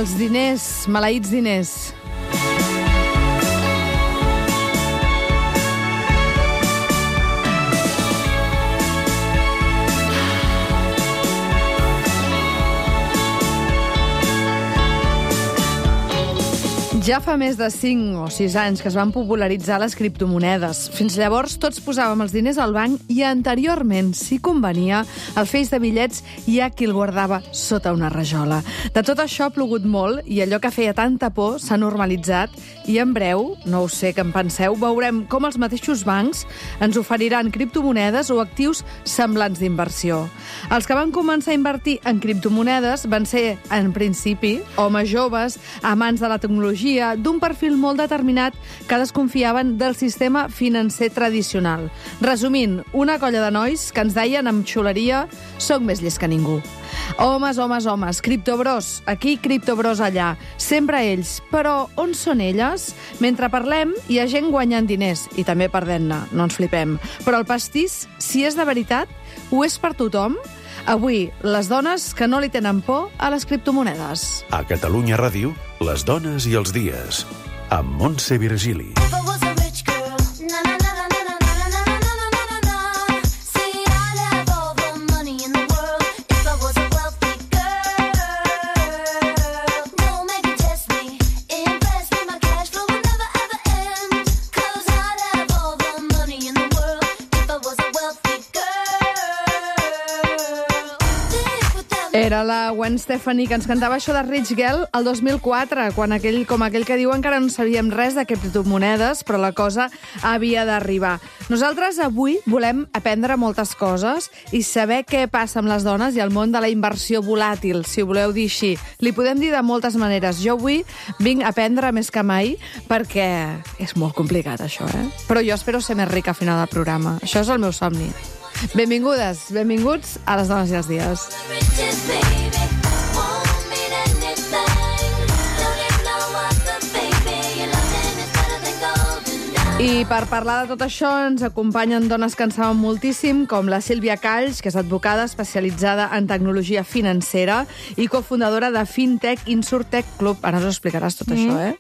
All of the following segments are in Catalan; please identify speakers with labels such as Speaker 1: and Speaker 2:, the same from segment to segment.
Speaker 1: Els diners, maleïts diners. Ja fa més de 5 o 6 anys que es van popularitzar les criptomonedes. Fins llavors tots posàvem els diners al banc i anteriorment, si convenia, el feix de bitllets hi ha qui el guardava sota una rajola. De tot això ha plogut molt i allò que feia tanta por s'ha normalitzat i en breu, no ho sé què en penseu, veurem com els mateixos bancs ens oferiran criptomonedes o actius semblants d'inversió. Els que van començar a invertir en criptomonedes van ser, en principi, homes joves, amants de la tecnologia, d'un perfil molt determinat que desconfiaven del sistema financer tradicional. Resumint, una colla de nois que ens deien amb xuleria «Soc més llest que ningú». Homes, homes, homes, criptobros aquí, criptobros allà, sempre ells. Però on són elles? Mentre parlem, hi ha gent guanyant diners, i també perdent-ne, no ens flipem. Però el pastís, si és de veritat, ho és per tothom? Avui, les dones que no li tenen por a les criptomonedes.
Speaker 2: A Catalunya Ràdio, les dones i els dies, amb Montse Virgili.
Speaker 1: Era la Gwen Stefani que ens cantava això de Rich Girl el 2004, quan aquell que diu encara no sabíem res de criptomonedes, però la cosa havia d'arribar. Nosaltres avui volem aprendre moltes coses i saber què passa amb les dones i el món de la inversió volàtil, si ho voleu dir així. Li podem dir de moltes maneres. Jo avui vinc a aprendre més que mai perquè és molt complicat, això, Però jo espero ser més rica al final del programa. Això és el meu somni. Benvingudes, benvinguts a les dones i els dies. I per parlar de tot això ens acompanyen dones que en saben moltíssim, com la Sílvia Calls, que és advocada especialitzada en tecnologia financera i cofundadora de Fintech Insurtech Club. Ara us ho explicaràs tot això,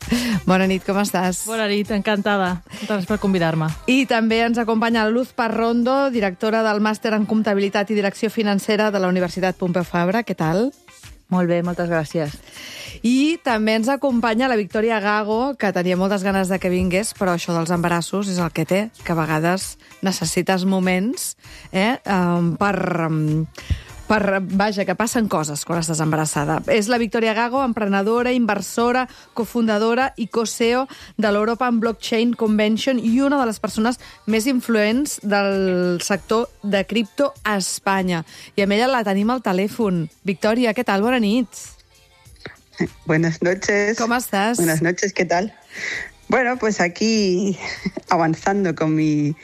Speaker 1: Bona nit, com estàs?
Speaker 3: Bona nit, encantada. Gràcies per convidar-me.
Speaker 1: I també ens acompanya la Luz Parrondo, directora del Màster en Comptabilitat i Direcció Financera de la Universitat Pompeu Fabra. Què tal?
Speaker 4: Molt bé, moltes gràcies.
Speaker 1: I també ens acompanya la Victòria Gago, que tenia moltes ganes de que vingués, però això dels embarassos és el que té, que a vegades necessites moments vaja, que passen coses quan estàs embarassada. És la Victòria Gago, emprenedora, inversora, cofundadora i co-CEO de l'European Blockchain Convention i una de les persones més influents del sector de cripto a Espanya. I amb ella la tenim al telèfon. Victòria, què tal? Bona nit.
Speaker 5: Buenas noches.
Speaker 1: ¿Cómo estás?
Speaker 5: Buenas noches, ¿qué tal? Bueno, pues aquí avanzando con mi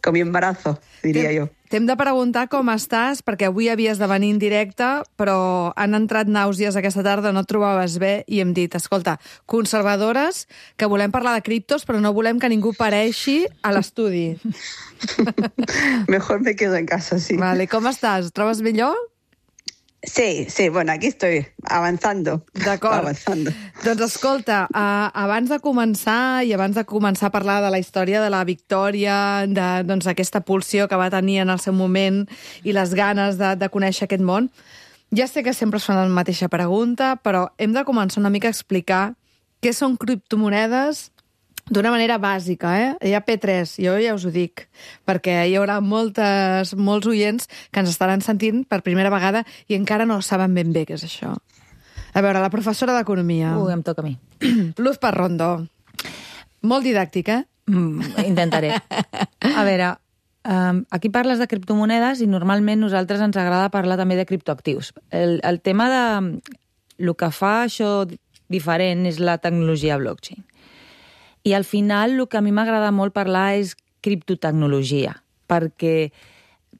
Speaker 5: embarazo, diria jo.
Speaker 1: T'hem de preguntar com estàs, perquè avui havies de venir en directe, però han entrat nàusees aquesta tarda, no et trobaves bé, i hem dit, escolta, conservadores, que volem parlar de criptos, però no volem que ningú pareixi a l'estudi.
Speaker 5: Mejor me quedo en casa, sí.
Speaker 1: Vale, com estàs? Trobes millor?
Speaker 5: Sí, bueno, aquí estoy, avanzando.
Speaker 1: D'acord.
Speaker 5: Avanzando.
Speaker 1: Doncs escolta, abans de començar a parlar de la història de la Victòria, d'aquesta pulsió que va tenir en el seu moment i les ganes de conèixer aquest món, ja sé que sempre es fa la mateixa pregunta, però hem de començar una mica a explicar què són criptomonedes d'una manera bàsica, Hi ha P3, jo ja us ho dic, perquè hi haurà molts oients que ens estaran sentint per primera vegada i encara no saben ben bé què és això. A veure, la professora d'Economia.
Speaker 4: Em toca a mi.
Speaker 1: Luz Parrondo. Molt didàctic,
Speaker 4: Intentaré. A veure, aquí parles de criptomonedes i normalment nosaltres ens agrada parlar també de criptoactius. El tema de el que fa això diferent és la tecnologia blockchain. I al final el que a mi m'agrada molt parlar és criptotecnologia, perquè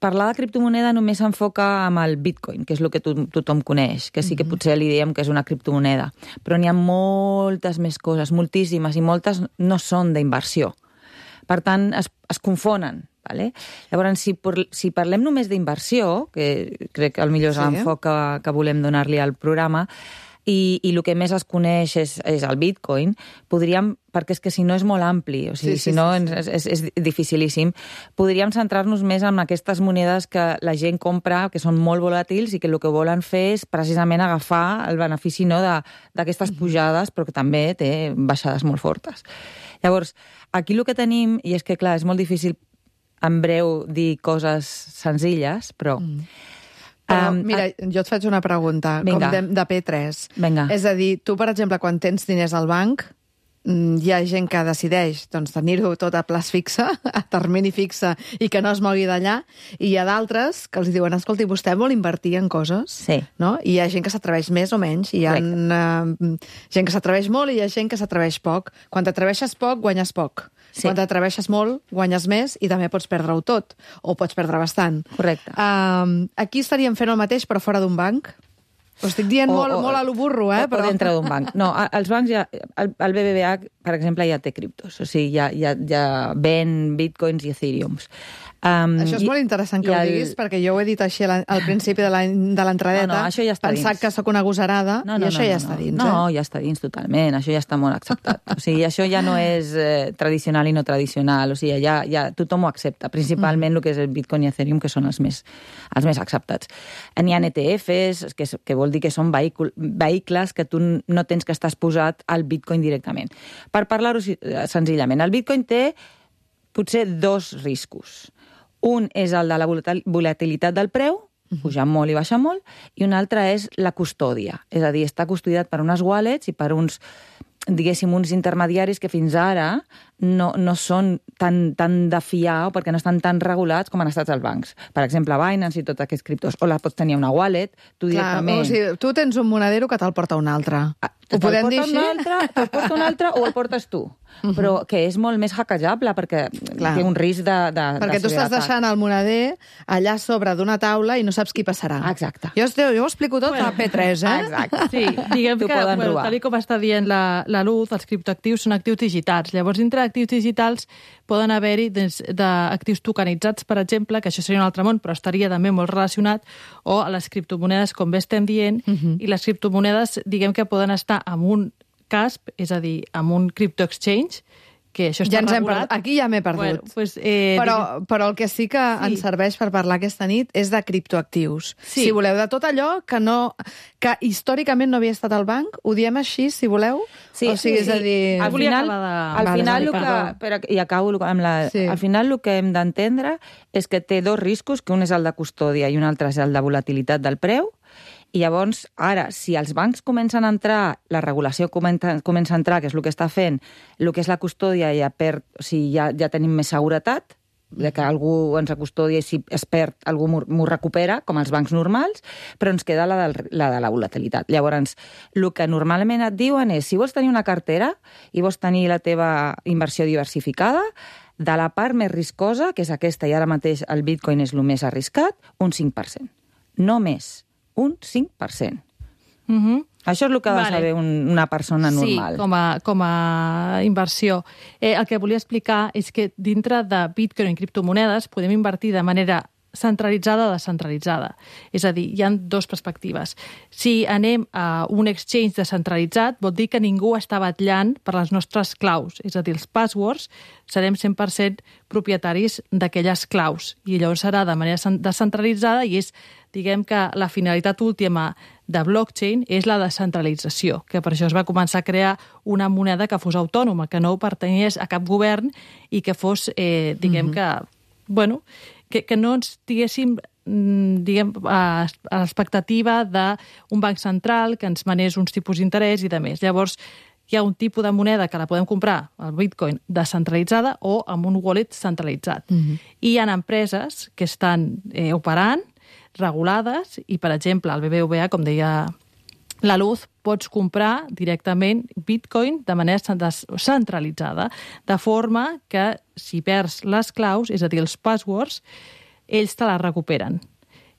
Speaker 4: parlar de criptomoneda només s'enfoca amb el Bitcoin, que és el que tothom coneix, que sí que potser li diem que és una criptomoneda, però n'hi ha moltes més coses, moltíssimes, i moltes no són d'inversió. Per tant, es confonen. Vale? Llavors, si parlem només d'inversió, que crec que potser és l'enfoc que volem donar-li al programa, i el que més es coneix és el Bitcoin, podríem, perquè és que si no és molt ampli, o sigui, si no és dificilíssim, podríem centrar-nos més en aquestes monedes que la gent compra, que són molt volàtils i que el que volen fer és precisament agafar el benefici d'aquestes pujades, però que també té baixades molt fortes. Llavors, aquí el que tenim, i és que, clar, és molt difícil en breu dir coses senzilles, però...
Speaker 1: Però, mira, jo et faig una pregunta,
Speaker 4: Vinga.
Speaker 1: com de P3.
Speaker 4: Vinga.
Speaker 1: És a dir, tu, per exemple, quan tens diners al banc, hi ha gent que decideix tenir-ho tot a plaç fixe, a termini fixe, i que no es mogui d'allà, i hi ha d'altres que els diuen, escolti, vostè vol invertir en coses?
Speaker 4: Sí.
Speaker 1: No? I hi ha gent que s'atreveix més o menys, hi ha gent que s'atreveix molt i hi ha gent que s'atreveix poc. Quan t'atreveixes poc, guanyes poc.
Speaker 4: Sí.
Speaker 1: Quan t'atreveixes molt, guanyes més i també pots perdre-ho tot, o pots perdre bastant.
Speaker 4: Correcte.
Speaker 1: Aquí estaríem fent el mateix, però fora d'un banc? Ho estic dient molt a lo burro,
Speaker 4: Però dintre d'un banc. No, els bancs ja... El BBVA, per exemple, ja té criptos. O sigui, ja ven bitcoins i ethereums.
Speaker 1: Això és molt interessant que ho diguis, perquè jo ho he dit així al principi de l'entradeta,
Speaker 4: No, això ja està
Speaker 1: pensant
Speaker 4: dins.
Speaker 1: que sóc una gosarada, i això ja està dins.
Speaker 4: No, ja està dins totalment, això ja està molt acceptat. O sigui, això ja no és tradicional i no tradicional, o sigui, ja tothom ho accepta, principalment el que és el Bitcoin i Ethereum, que són els més acceptats. N'hi ha ETFs, que vol dir que són vehicles que tu no tens que estar exposat al Bitcoin directament. Per parlar-ho senzillament, el Bitcoin té potser dos riscos. Un és el de la volatilitat del preu, pujar molt i baixar molt, i un altre és la custòdia. És a dir, està custodiat per unes wallets i per uns, diguéssim, uns intermediaris que fins ara no són tan de fiar o perquè no estan tan regulats com han estat els bancs. Per exemple, Binance i tots aquests criptos. O la pots tenir una wallet, tu directament...
Speaker 1: O sigui, tu tens un monedero que te'l porta un altre. Ho podem dir així?
Speaker 4: Te'l porta un altre o el portes tu. Però que és molt més hackejable perquè té un risc de
Speaker 1: perquè tu estàs deixant el moneder allà sobre d'una taula i no saps qui passarà.
Speaker 4: Exacte.
Speaker 1: Jo ho explico tot a P3, eh?
Speaker 4: Exacte.
Speaker 3: Sí, diguem que,
Speaker 4: poden robar.
Speaker 3: tal com està dient la Luz, els criptoactius són actius digitals. Llavors, dintre d'actius digitals poden haver-hi d'actius tokenitzats, per exemple, que això seria un altre món, però estaria també molt relacionat, o a les criptomonedes, com bé estem dient, i les criptomonedes, diguem que poden estar en un CASP, és a dir, amb un crypto exchange, que això està regulat.
Speaker 1: Aquí ja m'he perdut.
Speaker 3: Bueno, pues,
Speaker 1: però el que sí que ens serveix per parlar aquesta nit és de criptoactius.
Speaker 3: Sí.
Speaker 1: Si voleu, de tot allò que històricament no havia estat al banc, ho diem així, si voleu?
Speaker 4: Sí,
Speaker 1: o sigui, és a dir...
Speaker 4: Al final, al final el que hem d'entendre és que té dos riscos, que un és el de custòdia i un altre és el de volatilitat del preu. I llavors, ara, si els bancs comencen a entrar, la regulació comença a entrar, que és el que està fent, el que és la custòdia ja perd, o sigui, ja tenim més seguretat, de que algú ens acustodia i si es perd algú m'ho recupera, com els bancs normals, però ens queda la de la volatilitat. Llavors, el que normalment et diuen és, si vols tenir una cartera i vols tenir la teva inversió diversificada, de la part més riscosa, que és aquesta, i ara mateix el Bitcoin és el més arriscat, un 5%. No més. Un 5%. Això és el que ha de saber una persona normal.
Speaker 3: Sí, com a inversió. El que volia explicar és que dintre de Bitcoin i criptomonedes podem invertir de manera centralitzada o descentralitzada. És a dir, hi ha dues perspectives. Si anem a un exchange descentralitzat, vol dir que ningú està batllant per les nostres claus. És a dir, els passwords serem 100% propietaris d'aquelles claus. I llavors serà de manera descentralitzada i és, diguem que la finalitat última de blockchain és la descentralització, que per això es va començar a crear una moneda que fos autònoma, que no pertanyés a cap govern i que fos, diguem que, bueno, que no ens diguéssim, diguem, a l'expectativa d'un banc central que ens manés uns tipus d'interès i de més. Llavors, hi ha un tipus de moneda que la podem comprar, el Bitcoin, descentralitzada o amb un wallet centralitzat. I hi ha empreses que estan operant, regulades, i, per exemple, el BBVA, com deia la Luz, pots comprar directament Bitcoin de manera centralitzada, de forma que si perds les claus, és a dir, els passwords, ells te les recuperen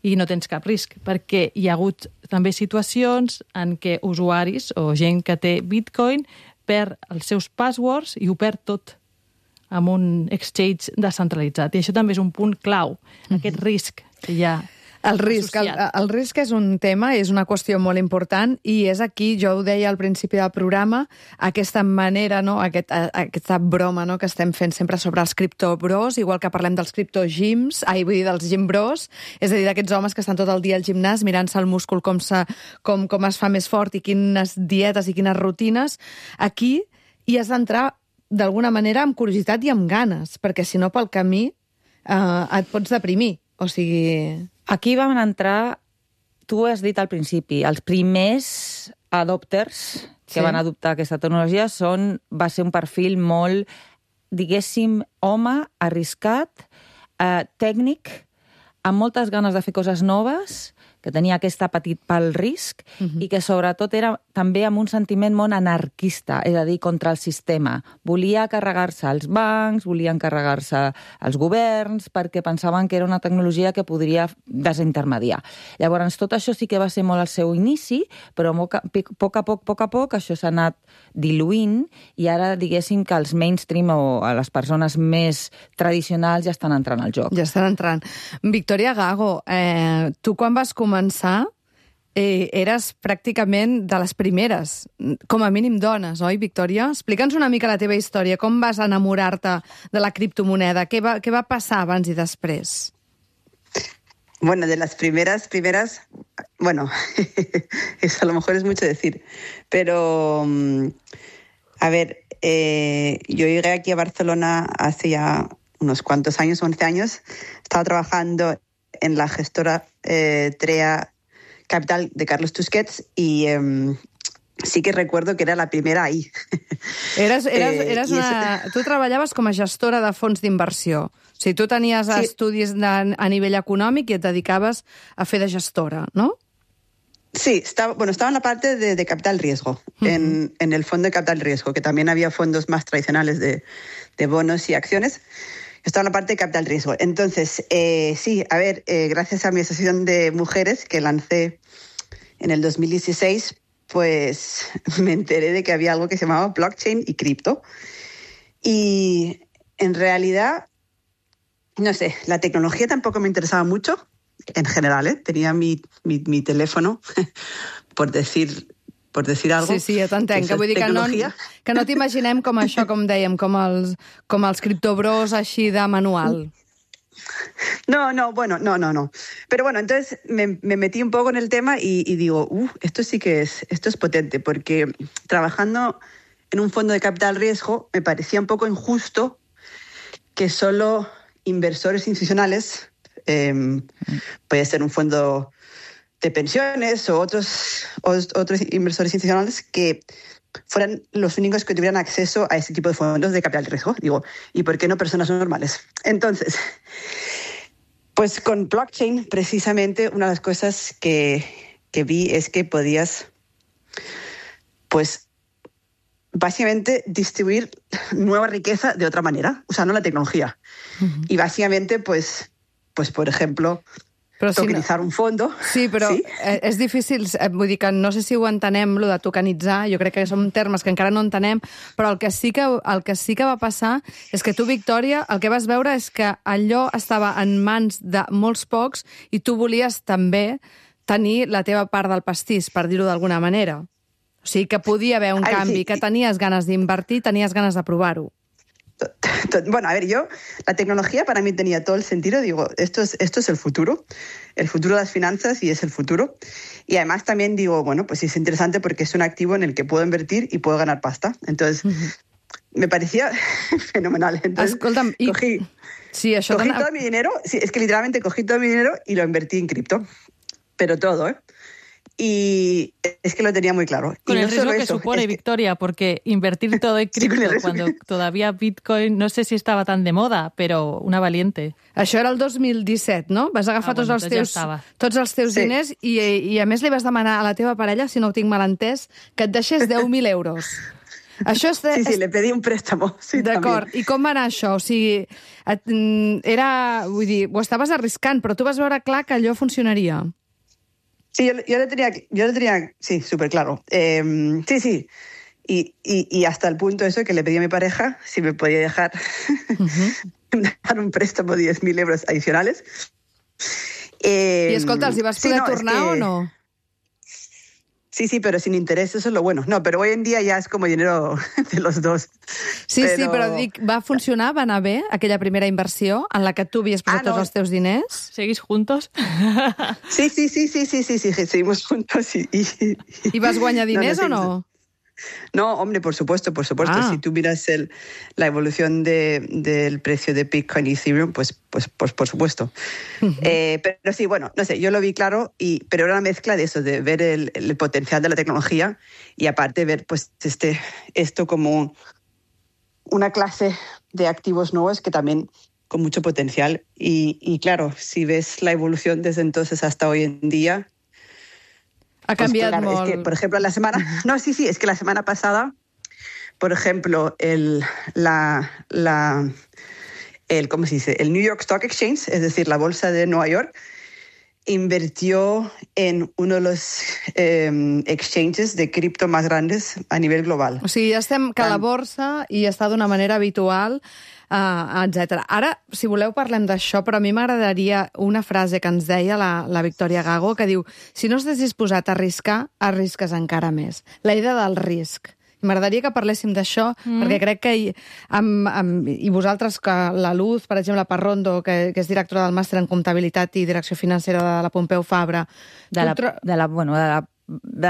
Speaker 3: i no tens cap risc, perquè hi ha hagut també situacions en què usuaris o gent que té Bitcoin perd els seus passwords i ho perd tot amb un exchange descentralitzat. I això també és un punt clau, aquest risc que hi ha.
Speaker 1: El risc és un tema, és una qüestió molt important i és aquí, jo ho deia al principi del programa, aquesta manera, no? Aquesta broma, no? Que estem fent sempre sobre els criptobros, igual que parlem dels criptogyms, vull dir dels gymbros, és a dir, d'aquests homes que estan tot el dia al gimnàs mirant-se el múscul com es fa més fort i quines dietes i quines rutines. Aquí hi has d'entrar d'alguna manera amb curiositat i amb ganes, perquè si no pel camí et pots deprimir. O sigui...
Speaker 4: Aquí vam entrar, tu has dit al principi, els primers adopters que van adoptar aquesta tecnologia va ser un perfil molt, diguéssim, home, arriscat, tècnic, amb moltes ganes de fer coses noves, que tenia aquesta petit pel risc i que sobretot era també amb un sentiment molt anarquista, és a dir, contra el sistema. Volia carregar-se els bancs, volien carregar-se els governs, perquè pensaven que era una tecnologia que podria desintermediar. Llavors, tot això sí que va ser molt al seu inici, però a poc a poc això s'ha anat diluint i ara, diguéssim, que els mainstream o les persones més tradicionals ja estan entrant al joc.
Speaker 1: Ja estan entrant. Victoria Gago, tu quan vas començar eres pràcticament de les primeres, com a mínim dones, oi, Victòria? Explica'ns una mica la teva història, com vas enamorar-te de la criptomoneda, què va passar abans i després?
Speaker 5: Bueno, de las primeras, bueno, eso a lo mejor es mucho decir, pero, a ver, yo llegué aquí a Barcelona hace ya unos cuantos años, 11 años, estaba trabajando en la gestora TREA Capital de Carlos Tusquets y sí que recuerdo que era la primera ahí.
Speaker 1: Tu treballaves com a gestora de fons d'inversió. O sigui, tu tenies estudis a nivell econòmic i et dedicaves a fer de gestora, no?
Speaker 5: Sí, estaba en la parte de capital riesgo, en el fondo de capital riesgo, que también había fondos más tradicionales de bonos y acciones. Estaba en la parte de capital riesgo. Entonces, sí, a ver, gracias a mi asociación de mujeres que lancé en el 2016, pues me enteré de que había algo que se llamaba blockchain y cripto. Y en realidad, no sé, la tecnología tampoco me interesaba mucho, en general, ¿eh? Tenía mi teléfono, por decir algo.
Speaker 1: Sí, jo t'entenc, que vull dir que no t'imaginem com això, com dèiem, com els criptobros així de manual.
Speaker 5: No. Pero bueno, entonces me metí un poco en el tema y digo, esto es potente, porque trabajando en un fondo de capital riesgo me parecía un poco injusto que solo inversores institucionales, puede ser un fondo de pensiones o otros inversores institucionales que fueran los únicos que tuvieran acceso a ese tipo de fondos de capital de riesgo. Digo, ¿y por qué no personas normales? Entonces, pues con blockchain, precisamente, una de las cosas que vi es que podías, pues, básicamente distribuir nueva riqueza de otra manera, usando la tecnología. Y básicamente, pues por ejemplo, tokenitzar un fondo.
Speaker 1: Sí, però sí? És difícil, vull dir que no sé si ho entenem, lo de tokenitzar, jo crec que són termes que encara no entenem, però el que sí que va passar és que tu, Victòria, el que vas veure és que allò estava en mans de molts pocs i tu volies també tenir la teva part del pastís, per dir-ho d'alguna manera. O sigui, que podia haver un canvi, que tenies ganes d'invertir, tenies ganes de provar-ho.
Speaker 5: Bueno, a ver, la tecnología para mí tenía todo el sentido, digo, esto es el futuro de las finanzas y es el futuro. Y además también digo, bueno, pues es interesante porque es un activo en el que puedo invertir y puedo ganar pasta. Entonces, me parecía fenomenal. Entonces, cogí todo mi dinero, sí, es que literalmente cogí todo mi dinero y lo invertí en cripto, pero todo, ¿eh? Y es que lo tenía muy claro.
Speaker 3: Con
Speaker 5: y
Speaker 3: el
Speaker 5: no
Speaker 3: riesgo
Speaker 5: solo
Speaker 3: que
Speaker 5: eso,
Speaker 3: supone, Victoria, porque invertir todo en cripto cuando todavía Bitcoin no sé si estaba tan de moda, però una valiente.
Speaker 1: Això era el 2017, no? Vas agafar tots els teus diners i a més li vas demanar a la teva parella, si no ho tinc mal entès, que et deixés 10.000 euros. Això
Speaker 5: sí, le pedí un préstamo. Sí,
Speaker 1: d'acord. I com va anar això? O sigui, vull dir, ho estaves arriscant, però tu vas veure clar que allò funcionaria.
Speaker 5: Sí, yo lo tenía, sí, súper claro. Sí. Y hasta el punto eso que le pedí a mi pareja si me podía dejar un préstamo de 10.000 euros adicionales.
Speaker 1: I escolta, els hi vas poder tornar o no?
Speaker 5: Sí, pero sin interés, eso es lo bueno. No, pero hoy en día ya es como dinero de los dos.
Speaker 1: Sí, però dic, va funcionar, va anar bé, aquella primera inversió en la que tu havies posat tots els teus diners?
Speaker 3: ¿Seguís juntos?
Speaker 5: Sí, seguimos juntos
Speaker 1: ¿Y vas guanyar diners o no?
Speaker 5: No, hombre, por supuesto. Si tú miras la evolución del precio de Bitcoin y Ethereum, pues por supuesto. Pero sí, bueno, no sé, yo lo vi claro, pero era una mezcla de eso, de ver el potencial de la tecnología y aparte ver pues esto como una clase de activos nuevos que también con mucho potencial. Y claro, si ves la evolución desde entonces hasta hoy en día...
Speaker 1: Ha cambiado
Speaker 5: Es que, por ejemplo, la semana... No, sí, es que la semana pasada, por ejemplo, ¿cómo se dice? El New York Stock Exchange, es decir, la bolsa de Nueva York, invirtió en uno de los exchanges de cripto más grandes a nivel global.
Speaker 1: O sigui, ja estem que la borsa hi està d'una manera habitual, etc. Ara, si voleu, parlem d'això, però a mi m'agradaria una frase que ens deia la Victòria Gago, que diu: si no estàs disposat a arriscar, arrisques encara més. La idea del risc. M'agradaria que parléssim d'això, perquè crec que i vosaltres, que la Luz, per exemple, Parrondo, que és directora del màster en comptabilitat i direcció financera de la Pompeu Fabra...
Speaker 4: De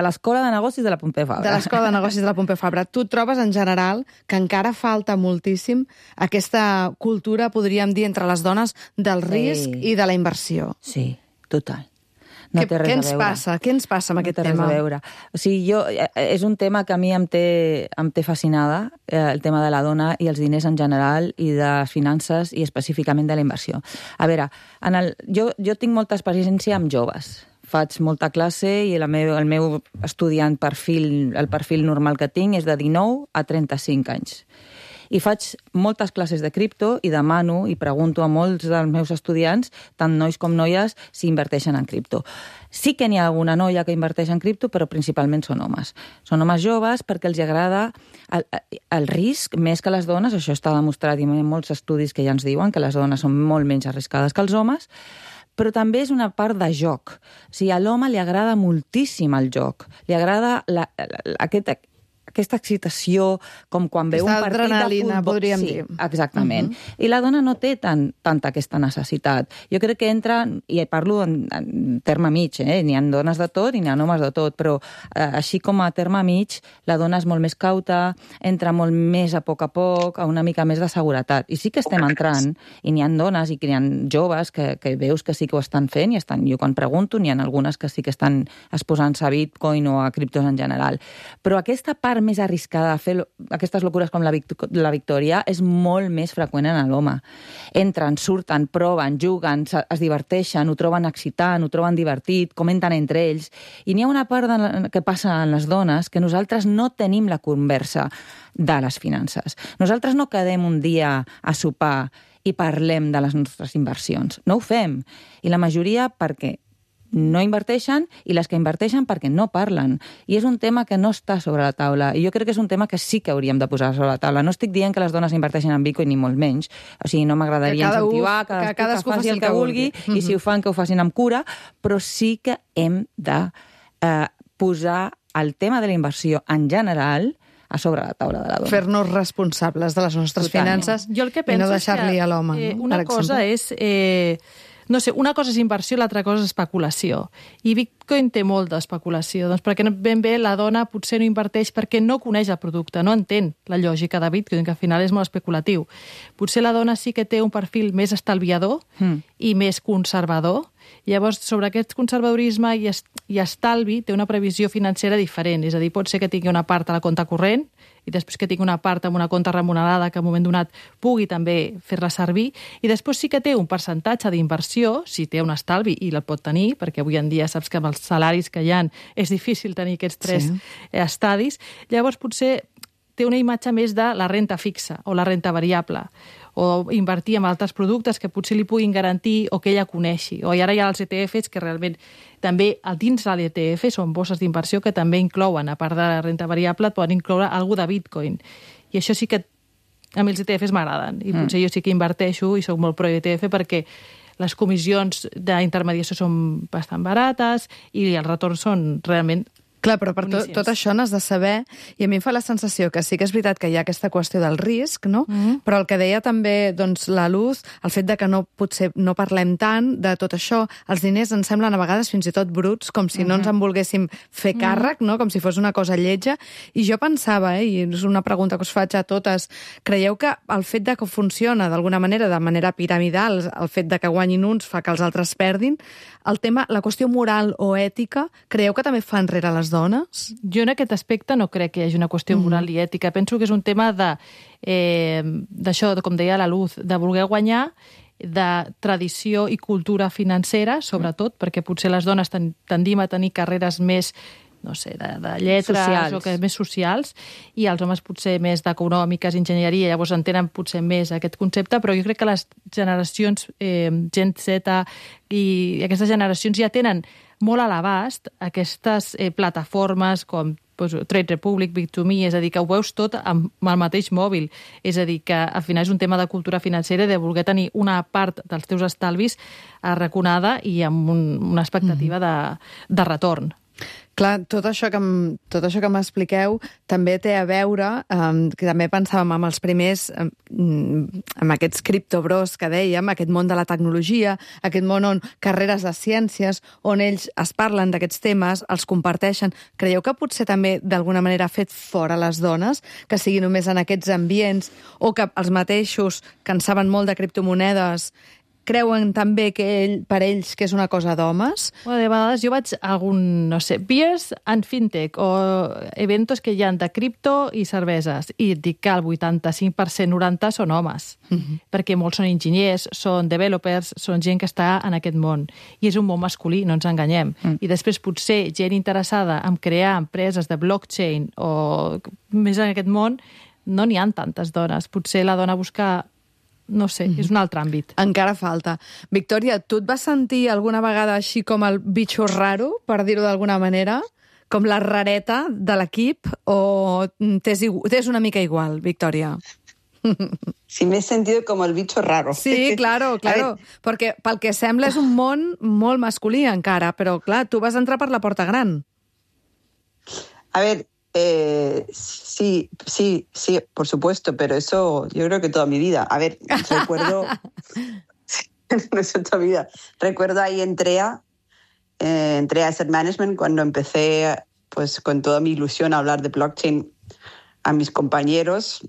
Speaker 4: l'Escola de Negocis de la Pompeu Fabra.
Speaker 1: De l'Escola de Negocis de la Pompeu Fabra. Tu trobes, en general, que encara falta moltíssim aquesta cultura, podríem dir, entre les dones, del risc i de la inversió?
Speaker 4: Sí, total. No té res a veure.
Speaker 1: Què ens passa amb aquest tema?
Speaker 4: No té res a veure. O sigui, és un tema que a mi em té fascinada, el tema de la dona i els diners en general i de les finances i específicament de la inversió. A veure, jo tinc molta experiència amb joves. Faig molta classe i el meu estudiant el perfil normal que tinc és de 19 a 35 anys. I faig moltes classes de cripto i demano i pregunto a molts dels meus estudiants, tant nois com noies, si inverteixen en cripto. Sí que n'hi ha alguna noia que inverteix en cripto, però principalment són homes. Són homes joves perquè els agrada el risc més que les dones, això està demostrat i hi ha molts estudis que ja ens diuen que les dones són molt menys arriscades que els homes, però també és una part de joc. O sigui, a l'home li agrada moltíssim el joc. Li agrada aquesta excitació, com quan veu un partit de
Speaker 1: adrenalina,
Speaker 4: futbol.
Speaker 1: podríem dir.
Speaker 4: Exactament. I la dona no té tanta aquesta necessitat. Jo crec que entra, i parlo en terme mig, n'hi ha dones de tot i n'hi ha homes de tot, però així com a terme mig, la dona és molt més cauta, entra molt més a poc, a una mica més de seguretat. I sí que estem entrant, i n'hi ha dones i n'hi ha joves que veus que sí que ho estan fent, jo quan pregunto, n'hi ha algunes que sí que estan exposant-se a Bitcoin o a criptos en general. Però aquesta part més arriscada a fer aquestes locures com la Victòria és molt més freqüent en l'home. Entren, surten, proven, juguen, es diverteixen, ho troben excitant, ho troben divertit, comenten entre ells. I n'hi ha una part que passa en les dones que nosaltres no tenim la conversa de les finances. Nosaltres no quedem un dia a sopar i parlem de les nostres inversions. No ho fem. I la majoria perquè no inverteixen i les que inverteixen perquè no parlen. I és un tema que no està sobre la taula. I jo crec que és un tema que sí que hauríem de posar sobre la taula. No estic dient que les dones inverteixen en Bitcoin ni molt menys. O sigui, no m'agradaria incentivar que cadascú faci el que vulgui i si ho fan, que ho facin amb cura, però sí que hem de posar el tema de la inversió en general a sobre la taula de la dona.
Speaker 1: Fer-nos responsables de les nostres finances i no deixar-li a l'home.
Speaker 3: Una cosa és... No sé, una cosa és inversió, l'altra cosa és especulació. I Bitcoin té molt d'especulació, doncs perquè ben bé la dona potser no inverteix perquè no coneix el producte, no entén la lògica de Bitcoin, que al final és molt especulatiu. Potser la dona sí que té un perfil més estalviador i més conservador. Llavors, sobre aquest conservadorisme i estalvi té una previsió financera diferent. És a dir, pot ser que tingui una part a la compte corrent i després que tingui una part amb una compte remunerada que en un moment donat pugui també fer-la servir, i després sí que té un percentatge d'inversió, si té un estalvi, i la pot tenir, perquè avui en dia saps que amb els salaris que hi ha és difícil tenir aquests tres estadis. Llavors potser té una imatge més de la renta fixa o la renta variable, o invertir en altres productes que potser li puguin garantir o que ella coneixi. O ara hi ha els ETFs que realment també dins de l'ETF són bosses d'inversió que també inclouen, a part de la renta variable, et poden incloure alguna de Bitcoin. I això sí que a mi els ETFs m'agraden. I potser jo sí que inverteixo i soc molt pro ETF perquè les comissions d'intermediació són bastant barates i els retorns són realment...
Speaker 1: Clar, però per tot això n'has de saber, i a mi em fa la sensació que sí que és veritat que hi ha aquesta qüestió del risc, no? Però el que deia també doncs, la Luz, el fet de que potser no parlem tant de tot això, els diners ens semblen a vegades fins i tot bruts, com si no ens en volguéssim fer càrrec, no? Com si fos una cosa lletja. I jo pensava, i és una pregunta que us faig a totes, creieu que el fet de que funciona d'alguna manera, de manera piramidal, el fet de que guanyin uns fa que els altres perdin, el tema, la qüestió moral o ètica, creieu que també fa enrere les dones?
Speaker 3: Jo en aquest aspecte no crec que hi hagi una qüestió moral i ètica. Penso que és un tema d'això, com deia la Luz, de voler guanyar, de tradició i cultura financera, sobretot, perquè potser les dones tendim a tenir carreres més no sé, de lletres socials. O que més socials, i els homes potser més d'econòmiques, enginyeria, llavors entenen potser més aquest concepte, però jo crec que les generacions Gen Z i aquestes generacions ja tenen molt a l'abast aquestes plataformes com Trade Republic, Bit2Me, és a dir, que ho veus tot amb el mateix mòbil. És a dir, que al final és un tema de cultura financera, de voler tenir una part dels teus estalvis arraconada i amb una expectativa de retorn.
Speaker 1: Clar, tot això que m'expliqueu també té a veure, que també pensàvem amb els primers, amb aquests criptobros que dèiem, aquest món de la tecnologia, aquest món on carreres de ciències, on ells es parlen d'aquests temes, els comparteixen. Creieu que potser també d'alguna manera ha fet fora les dones, que sigui només en aquests ambients, o que els mateixos que en saben molt de criptomonedes creuen també que per ells que és una cosa d'homes?
Speaker 3: De vegades jo vaig a algun, no sé, beers and fintech o eventos que hi ha de cripto i cerveses, i et dic que el 85%, 90% són homes, perquè molts són enginyers, són developers, són gent que està en aquest món. I és un món masculí, no ens enganyem. I després potser gent interessada en crear empreses de blockchain o més en aquest món, no n'hi ha tantes dones. Potser la dona busca... No sé, és un altre àmbit.
Speaker 1: Encara falta. Victòria, tu et vas sentir alguna vegada així com el bitxo raro, per dir-ho d'alguna manera? Com la rareta de l'equip? O t'és una mica igual, Victòria?
Speaker 5: Sí, me he sentido como el bicho raro.
Speaker 1: Sí, claro. Perquè pel que sembla és un món molt masculí encara, però clar, tu vas entrar per la porta gran.
Speaker 5: A ver... sí, por supuesto, pero eso yo creo que toda mi vida. A ver, recuerdo... no es toda mi vida. Recuerdo ahí entré a Asset Management cuando empecé pues con toda mi ilusión a hablar de blockchain a mis compañeros.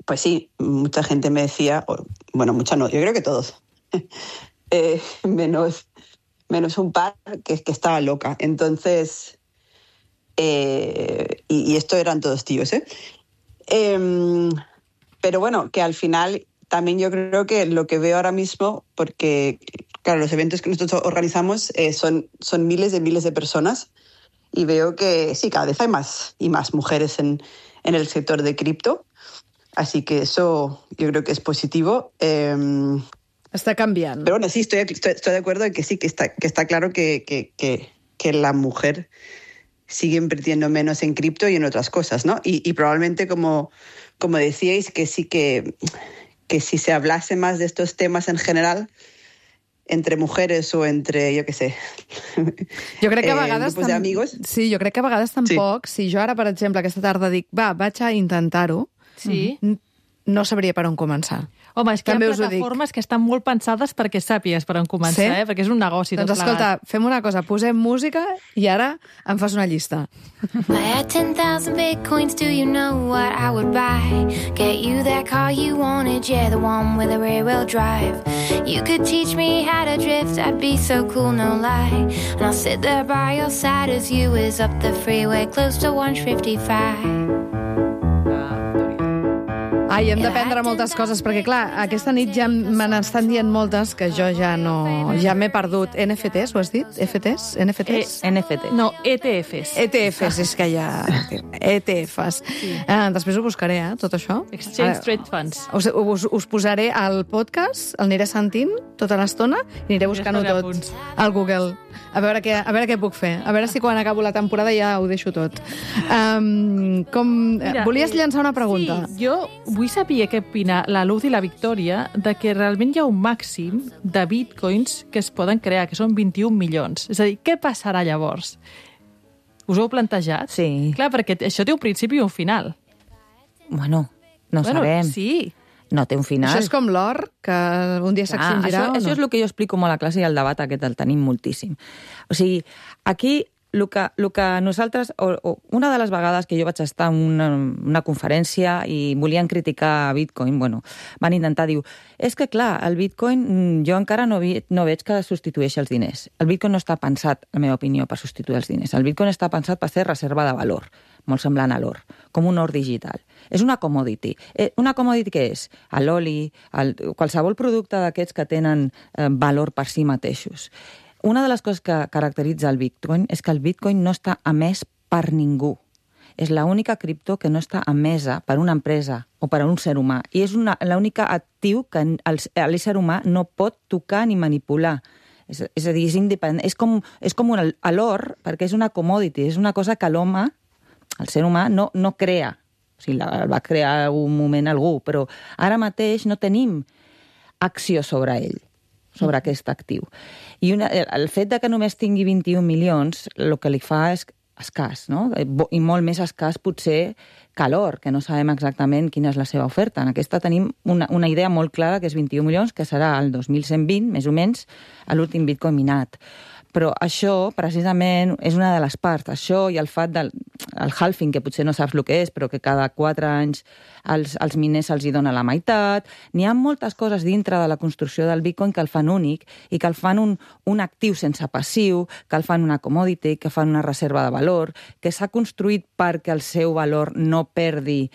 Speaker 5: Pues sí, mucha gente me decía, bueno, mucha no, yo creo que todos, menos un par que estaba loca. Entonces... y esto eran todos tíos, pero bueno, que al final también yo creo que lo que veo ahora mismo, porque claro, los eventos que nosotros organizamos son miles de personas, y veo que sí, cada vez hay más y más mujeres en el sector de cripto, así que eso yo creo que es positivo.
Speaker 1: Está cambiando.
Speaker 5: Pero bueno, sí, estoy de acuerdo en que sí, que está claro que la mujer sigue invirtiendo menos en cripto y en otras cosas, ¿no? Y probablemente, como decíais, que sí que si se hablase más de estos temas en general, entre mujeres o entre, jo què sé,
Speaker 1: jo crec que a vegades
Speaker 5: grupos d'amigos...
Speaker 1: Sí, jo crec que a vegades tampoc, si jo ara, per exemple, aquesta tarda dic, vaig a intentar-ho, no sabria per on començar.
Speaker 3: Home, és que hi ha plataformes que estan molt pensades perquè sàpigues per on començar, perquè és un negoci.
Speaker 1: Doncs escolta, fem una cosa, posem música i ara em fas una llista.
Speaker 6: I had 10,000 bitcoins, do you know what I would buy? Get you that car you wanted, yeah, the one with a rear-wheel drive. You could teach me how to drift, I'd be so cool, no lie. And I'll sit there by your side as you is up the freeway, close to 155.
Speaker 1: Ai, hem d'aprendre moltes coses, perquè clar, aquesta nit ja me n'estan dient moltes que jo ja m'he perdut. NFTs, ho has dit? FTs? NFTs?
Speaker 4: NFT.
Speaker 3: No, ETFs.
Speaker 1: ETFs, és que ja... ETFs. Sí. Després ho buscaré, tot això.
Speaker 3: Exchange Trade Funds.
Speaker 1: Us posaré al podcast, el aniré sentint tota l'estona i aniré buscant-ho tot al Google. A veure què puc fer. A veure si quan acabo la temporada ja ho deixo tot. Mira, volies llançar una pregunta?
Speaker 3: Sí, jo vull saber què opina la Luz i la Victòria de que realment hi ha un màxim de bitcoins que es poden crear, que són 21 milions. És a dir, què passarà llavors? Us ho heu plantejat?
Speaker 4: Sí.
Speaker 3: Clar, perquè això té un principi i un final.
Speaker 4: Bueno, no sabem.
Speaker 3: Sí.
Speaker 4: No té un final.
Speaker 1: Això és com l'or, que un dia s'extingirà o no?
Speaker 4: Això és el que jo explico molt a la classe i el debat aquest el tenim moltíssim. O sigui, aquí el que nosaltres... una de les vegades que jo vaig estar en una conferència i volien criticar Bitcoin, van intentar dir, és que clar, el Bitcoin jo encara no veig que substitueixi els diners. El Bitcoin no està pensat, en la meva opinió, per substituir els diners. El Bitcoin està pensat per ser reserva de valor, molt semblant a l'or, com un or digital. És una commodity. Una commodity què és? L'oli, qualsevol producte d'aquests que tenen valor per si mateixos. Una de les coses que caracteritza el Bitcoin és que el Bitcoin no està emès per ningú. És l'única cripto que no està emesa per una empresa o per un ser humà. I és l'únic actiu que l'ésser humà no pot tocar ni manipular. És a dir, és independent. És com l'or, perquè és una commodity, és una cosa que l'home, el ser humà, no crea. O sigui, el va crear un moment algú, però ara mateix no tenim acció sobre ell, sobre aquest actiu. I el fet de que només tingui 21 milions, el que li fa és escàs, no? I molt més escàs potser que l'or, que no sabem exactament quina és la seva oferta. En aquesta tenim una idea molt clara, que és 21 milions, que serà el 2120, més o menys, l'últim Bitcoin minat. Però això, precisament, és una de les parts. Això i el fet del halving, que potser no saps el que és, però que cada 4 anys als miners se'ls dona la meitat. N'hi ha moltes coses dintre de la construcció del Bitcoin que el fan únic i que el fan un actiu sense passiu, que el fan una commodity, que fan una reserva de valor, que s'ha construït perquè el seu valor no perdi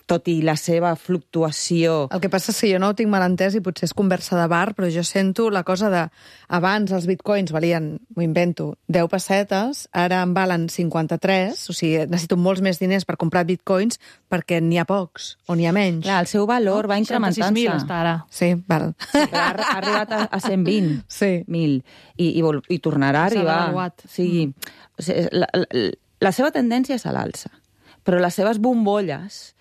Speaker 4: tot i la seva fluctuació.
Speaker 1: El que passa és que jo no ho tinc mal entès i potser és conversa de bar, però jo sento la cosa de... Abans els bitcoins valien, m'ho invento, 10 pessetes, ara en valen 53, o sigui, necessito molts més diners per comprar bitcoins perquè n'hi ha pocs o n'hi ha menys.
Speaker 4: Clar, el seu valor va incrementant-se.
Speaker 3: 66.000 està ara.
Speaker 1: Sí, val.
Speaker 4: Ha arribat a 120.000.
Speaker 1: Sí.
Speaker 4: I tornarà a arribar.
Speaker 3: devaluat.
Speaker 4: Sí. O sigui, la seva tendència és a l'alça, però les seves bombolles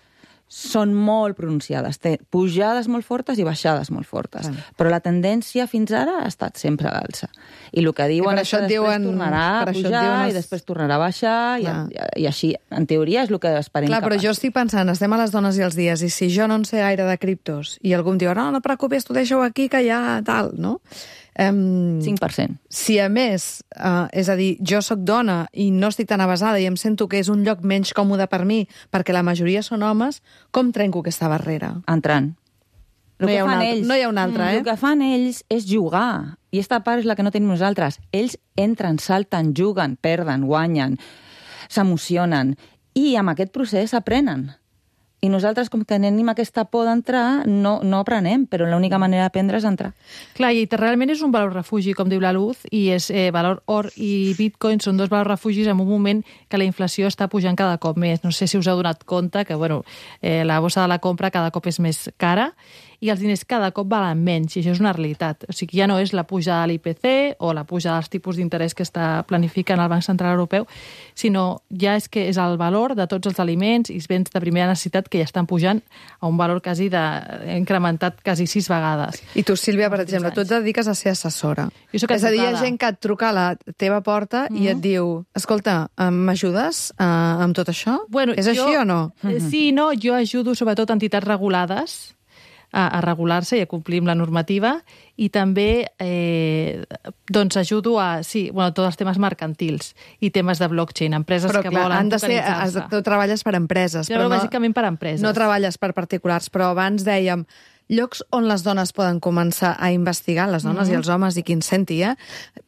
Speaker 4: són molt pronunciades. Té pujades molt fortes i baixades molt fortes. Però la tendència fins ara ha estat sempre a l'alça. I el que diuen és que després tornarà a pujar i després tornarà a baixar i així, en teoria, és el que esperem.
Speaker 1: Clar, però jo estic pensant, estem a les dones i els dies, i si jo no en sé gaire de criptos i algú em diu, no et preocupis, tu deixa-ho aquí que ja tal, no?
Speaker 4: 5%.
Speaker 1: Si a més, és a dir, jo sóc dona i no estic tan avasada i em sento que és un lloc menys còmode per mi perquè la majoria són homes, com trenco aquesta barrera?
Speaker 4: Entrant.
Speaker 1: No hi ha una altra,
Speaker 4: El que fan ells és jugar. I aquesta part és la que no tenim nosaltres. Ells entren, salten, juguen, perden, guanyen, s'emocionen i amb aquest procés aprenen. I nosaltres, com que tenim aquesta por d'entrar, no aprenem, però l'única manera d'aprendre és entrar.
Speaker 3: Clar, i realment és un valor refugi, com diu la Luz, i és valor or i bitcoin són dos valors refugis en un moment que la inflació està pujant cada cop més. No sé si us heu donat compte que la bossa de la compra cada cop és més cara i els diners cada cop valen menys, i això és una realitat. O sigui, ja no és la pujada de l'IPC o la pujada dels tipus d'interès que està planificant el Banc Central Europeu, sinó ja és que és el valor de tots els aliments i béns de primera necessitat que ja estan pujant a un valor incrementat quasi 6 vegades.
Speaker 1: I tu, Sílvia, per exemple, tu et dediques a ser assessora.
Speaker 3: És
Speaker 1: a dir, hi ha gent que et truca a la teva porta i et diu, escolta, m'ajudes amb tot això? És així o no?
Speaker 3: Sí, no, jo ajudo sobretot entitats regulades a regular-se i a complir amb la normativa i també ajudo a tots els temes mercantils i temes de blockchain, empreses que volen tokenitzar-se.
Speaker 1: Tu treballes per empreses.
Speaker 3: Però bàsicament per empreses.
Speaker 1: No treballes per particulars, però abans dèiem llocs on les dones poden començar a investigar, les dones i els homes i qui ens senti,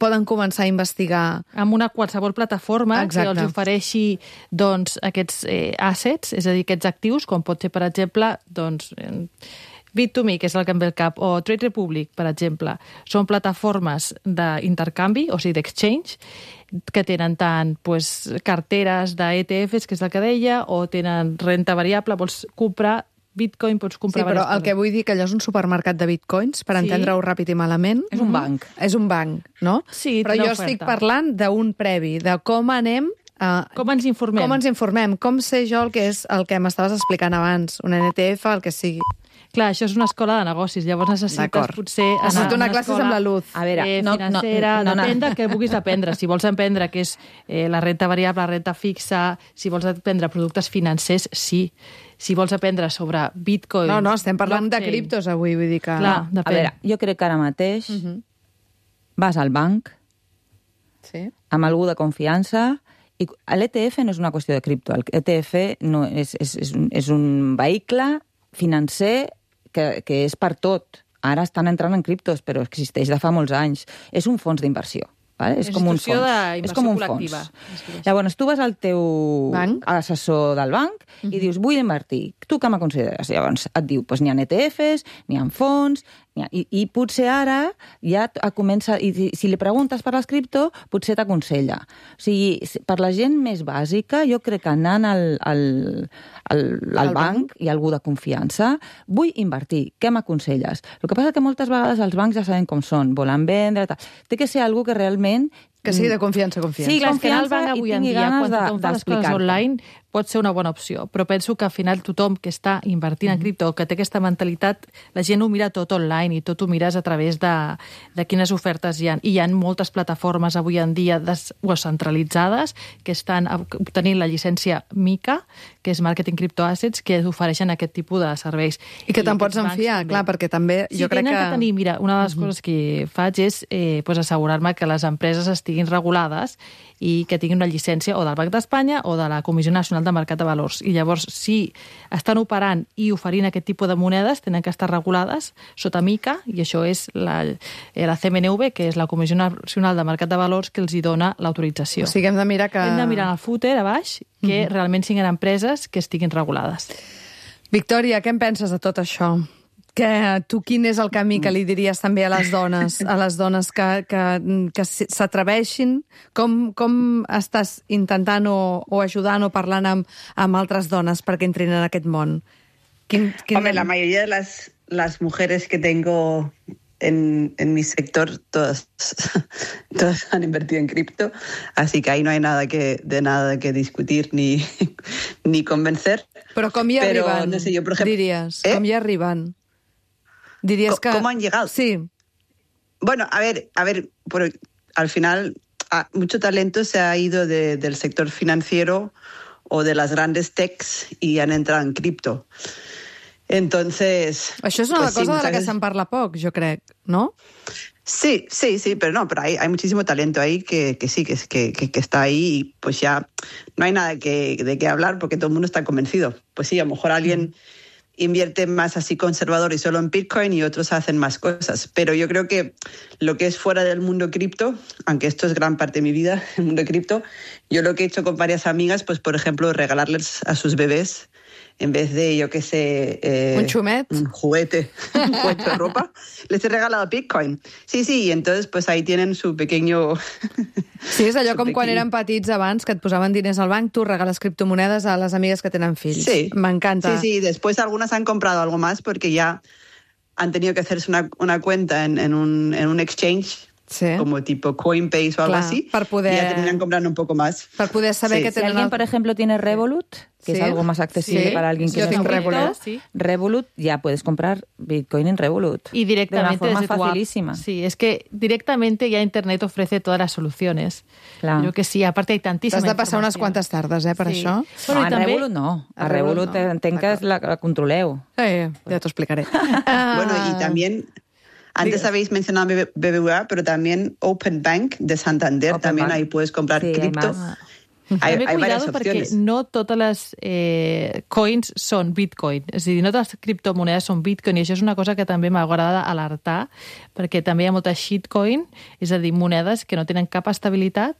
Speaker 1: poden començar a investigar...
Speaker 3: Amb una qualsevol plataforma que els ofereixi aquests assets, és a dir, aquests actius, com pot ser, per exemple, Bit2Me, que és el que em ve al cap, o Trade Republic, per exemple, són plataformes d'intercanvi, o sigui, d'exchange, que tenen tant carteres d'ETFs, que és el que deia, o tenen renta variable, vols comprar Bitcoin, pots comprar...
Speaker 1: Sí, però el que vull dir que allò és un supermercat de bitcoins, per entendre-ho ràpid i malament.
Speaker 4: És un banc.
Speaker 1: És un banc, no?
Speaker 3: Sí,
Speaker 1: però jo estic parlant d'un previ, de com anem
Speaker 3: Com ens informem?
Speaker 1: Com ens informem? Com sé jo el que és el que m'estaves explicant abans? Un NTF, el que sigui.
Speaker 3: Clar, això és una escola de negocis, llavors necessites potser anar
Speaker 1: Necessito
Speaker 3: a
Speaker 1: una
Speaker 3: una
Speaker 1: classe
Speaker 3: escola
Speaker 1: amb la luz.
Speaker 4: A veure,
Speaker 3: financera, depèn de què vulguis aprendre. Si vols aprendre què és la renta variable, la renta fixa, si vols aprendre productes financers, sí. Si vols aprendre sobre Bitcoin...
Speaker 1: No, estem parlant de
Speaker 3: blockchain.
Speaker 1: criptos avui, vull dir que...
Speaker 3: Clar,
Speaker 4: A
Speaker 3: depèn.
Speaker 4: veure, jo crec que ara mateix vas al banc
Speaker 1: Sí.
Speaker 4: amb algú de confiança i l'ETF no és una qüestió de cripto. L'ETF no és un vehicle financer que és per tot. Ara estan entrant en criptos, però existeix de fa molts anys. És un fons d'inversió. Vale? És com un
Speaker 3: Institució
Speaker 4: fons.
Speaker 3: d'inversió
Speaker 4: És com un
Speaker 3: col·lectiva.
Speaker 4: fons. Llavors, tu vas al teu
Speaker 1: Banc.
Speaker 4: assessor del banc i dius, vull invertir. Tu què me consideres? Llavors et diu, doncs n'hi ha ETFs, n'hi ha fons, i potser ara ja comença... I si li preguntes per les cripto, potser t'aconsella. O sigui, per la gent més bàsica, jo crec que anant al banc i algú de confiança, vull invertir, què m'aconselles? El que passa és que moltes vegades els bancs ja sabem com són, volen vendre... Tal. Té que ser algú que realment...
Speaker 1: Que sigui de confiança.
Speaker 4: Sí,
Speaker 3: Clar, és que anar al
Speaker 4: confiança
Speaker 3: banc
Speaker 4: i
Speaker 3: avui en
Speaker 4: tingui
Speaker 3: dia,
Speaker 4: ganes
Speaker 3: quan tothom fa les coses
Speaker 4: d'explicar-te.
Speaker 3: online, pot ser una bona opció. Però penso que al final tothom que està invertint en cripto, que té aquesta mentalitat, la gent ho mira tot online i tot ho mires a través de quines ofertes hi ha. I hi ha moltes plataformes avui en dia centralitzades que estan obtenint la llicència MiCA, que és Marketing Crypto Assets, que ofereixen aquest tipus de serveis.
Speaker 1: I que te'n pots
Speaker 3: aquests bancs
Speaker 1: enfiar,
Speaker 3: també.
Speaker 1: clar, perquè també jo crec
Speaker 3: tenen
Speaker 1: que...
Speaker 3: tenir, mira, una de les coses que faig és assegurar-me que les empreses estiguin regulades i que tinguin una llicència o del Banc d'Espanya o de la Comissió Nacional de Mercat de Valors. I llavors, si estan operant i oferint aquest tipus de monedes, tenen que estar regulades sota MiCA, i això és la CMNV, que és la Comissió Nacional de Mercat de Valors, que els hi dona l'autorització.
Speaker 1: O sigui, hem de mirar que...
Speaker 3: Hem de mirar en el footer, a baix, que realment siguin empreses que estiguin regulades.
Speaker 1: Victòria, què en penses de tot això? Tu quin és el camí que li diries també a les dones que s'atreveixin? Com estàs intentant o ajudant o parlant amb altres dones perquè entrin en aquest món?
Speaker 5: Hombre, la mayoría de las mujeres que tengo en mi sector, todas han invertido en cripto, así que ahí no hay nada que discutir ni convencer.
Speaker 1: Però com hi arriben,
Speaker 5: no sé, yo, por ejemplo,
Speaker 1: diries? Com hi arriben? Diries que...
Speaker 5: ¿Cómo han llegado?
Speaker 1: Sí.
Speaker 5: Bueno, a ver, al final mucho talento se ha ido del sector financiero o de las grandes techs y han entrado en cripto. Entonces...
Speaker 1: Això és una cosa de la que se'n parla poc, jo crec, no?
Speaker 5: Sí, pero hay muchísimo talento ahí que sí, que está ahí y pues ya no hay nada de qué hablar porque todo el mundo está convencido. Pues sí, a lo mejor alguien invierte más así conservador y solo en Bitcoin y otros hacen más cosas. Pero yo creo que lo que es fuera del mundo cripto, aunque esto es gran parte de mi vida, el mundo cripto, yo lo que he hecho con varias amigas, pues por ejemplo, regalarles a sus bebés, en vez de, yo qué sé...
Speaker 1: un xumet.
Speaker 5: Un juguete de ropa, les he regalado Bitcoin. Sí, y entonces pues ahí tienen su pequeño...
Speaker 1: Sí, és allò com quan eren petits abans, que et posaven diners al banc, tu regales criptomonedes a les amigues que tenen fills.
Speaker 5: Sí.
Speaker 1: M'encanta.
Speaker 5: Sí, después algunas han comprado algo más porque ya han tenido que hacerse una cuenta en un exchange,
Speaker 1: sí,
Speaker 5: como tipo Coinbase o algo así,
Speaker 1: para poder...
Speaker 5: y ya terminan comprando un poco más.
Speaker 1: Para poder saber
Speaker 5: Sí.
Speaker 1: que
Speaker 4: Si
Speaker 1: tenen...
Speaker 4: alguien, por ejemplo, tiene Revolut, que es algo más accesible para alguien que
Speaker 1: Yo
Speaker 4: no
Speaker 1: tengo
Speaker 4: está en
Speaker 1: Revolut.
Speaker 4: cripto, Revolut, ya puedes comprar Bitcoin en Revolut.
Speaker 3: Y directamente
Speaker 4: de una
Speaker 3: desde
Speaker 4: forma
Speaker 3: tu app.
Speaker 4: facilísima.
Speaker 3: Sí, es que directamente ya Internet ofrece todas las soluciones.
Speaker 4: Clar.
Speaker 3: Yo que sí, aparte hay tantíssima
Speaker 1: T'has de passar unes
Speaker 3: informació.
Speaker 1: quantes tardes, per
Speaker 3: Sí.
Speaker 1: això.
Speaker 3: Bueno,
Speaker 4: No,
Speaker 3: i
Speaker 4: en
Speaker 3: també...
Speaker 4: Revolut no.
Speaker 1: A
Speaker 4: A
Speaker 1: Revolut
Speaker 4: Revolut
Speaker 1: no.
Speaker 4: entenc que la controleu.
Speaker 1: Ja t'ho explicaré.
Speaker 5: Bueno, y también... Antes habéis mencionado BBVA, pero también Open Bank de Santander,
Speaker 4: Open
Speaker 5: también
Speaker 4: Bank.
Speaker 5: ahí puedes comprar
Speaker 4: Sí,
Speaker 5: cripto.
Speaker 4: además.
Speaker 5: Hay
Speaker 3: També
Speaker 5: varias
Speaker 3: cuidado perquè
Speaker 5: opciones.
Speaker 3: no totes les coins són Bitcoin. És a dir, no totes les criptomonedes són Bitcoin, i això és una cosa que també m'agrada alertar, perquè també hi ha molta shitcoin, és a dir, monedes que no tenen cap estabilitat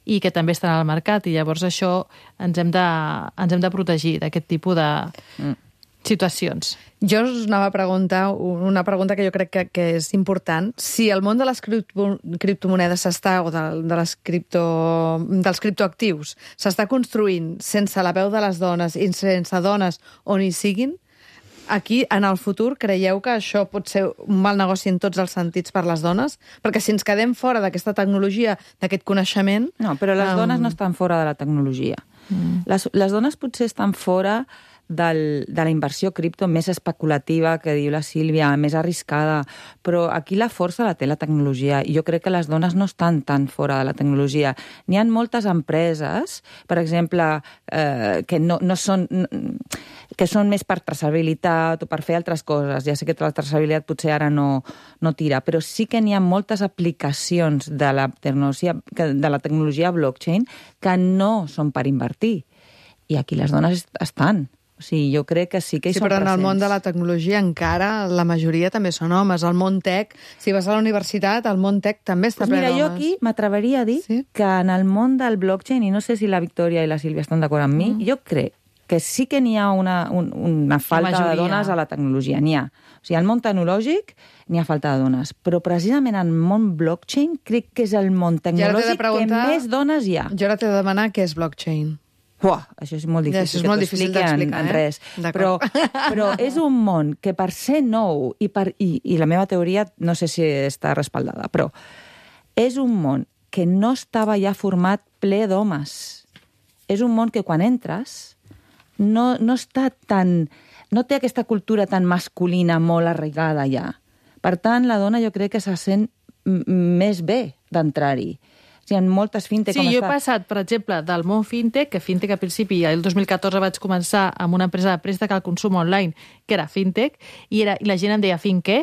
Speaker 3: i que també estan al mercat, i llavors això ens hem de protegir d'aquest tipus de situacions.
Speaker 1: Jo us anava a preguntar una pregunta que jo crec que és important. Si el món de les criptomonedes o dels criptoactius s'està construint sense la veu de les dones i sense dones on hi siguin, Aquí, en el futur, creieu que això pot ser un mal negoci en tots els sentits per les dones? Perquè si ens quedem fora d'aquesta tecnologia, d'aquest coneixement...
Speaker 4: No, però les dones no estan fora de la tecnologia. Les dones potser estan fora de la inversió cripto més especulativa, que diu la Sílvia, més arriscada, però aquí la força la té la tecnologia, i jo crec que les dones no estan tan fora de la tecnologia. N'hi ha moltes empreses, per exemple, que no són... que són més per traçabilitat o per fer altres coses. Ja sé que la traçabilitat potser ara no tira, però sí que n'hi ha moltes aplicacions de la tecnologia blockchain que no són per invertir. I aquí les dones estan. O sigui, jo crec que sí que hi són
Speaker 1: però
Speaker 4: presents.
Speaker 1: en el món de la tecnologia encara la majoria també són homes. El món tech, si vas a la universitat, el món tech també està ple d'homes.
Speaker 4: Mira, jo aquí m'atreveria a dir que en el món del blockchain, i no sé si la Victòria i la Sílvia estan d'acord amb mi, jo crec que sí que n'hi ha una falta de dones a la tecnologia. N'hi ha. O sigui, al món tecnològic n'hi ha falta de dones. Però precisament en el món blockchain crec que és el món tecnològic que més dones hi ha.
Speaker 1: Jo ara t'he de demanar què és blockchain.
Speaker 4: Uah, això és molt difícil,
Speaker 1: això és molt difícil d'explicar,
Speaker 4: en res. Però és un món que per ser nou, i la meva teoria no sé si està respaldada, però és un món que no estava ja format ple d'homes. És un món que quan entres no està tan... no té aquesta cultura tan masculina molt arraigada ja. Per tant, la dona jo crec que se sent més bé d'entrar-hi. O sigui, en moltes fintech...
Speaker 3: Sí, jo he passat, per exemple, del món fintech, que fintech al principi, el 2014 vaig començar amb una empresa de préstec al consum online, que era fintech, i la gent em deia finqué,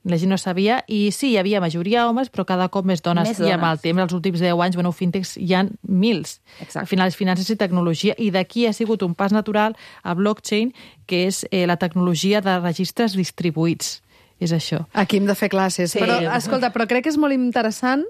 Speaker 3: la gent no sabia, i sí, hi havia majoria homes, però cada cop més dones. I amb el temps, els últims 10 anys, fintechs hi ha mils.
Speaker 4: Exacte.
Speaker 3: Al final, finances i tecnologia, i d'aquí ha sigut un pas natural a blockchain, que és la tecnologia de registres distribuïts. És això.
Speaker 1: Aquí hem de fer classes.
Speaker 3: Sí.
Speaker 1: Però, escolta, però crec que és molt interessant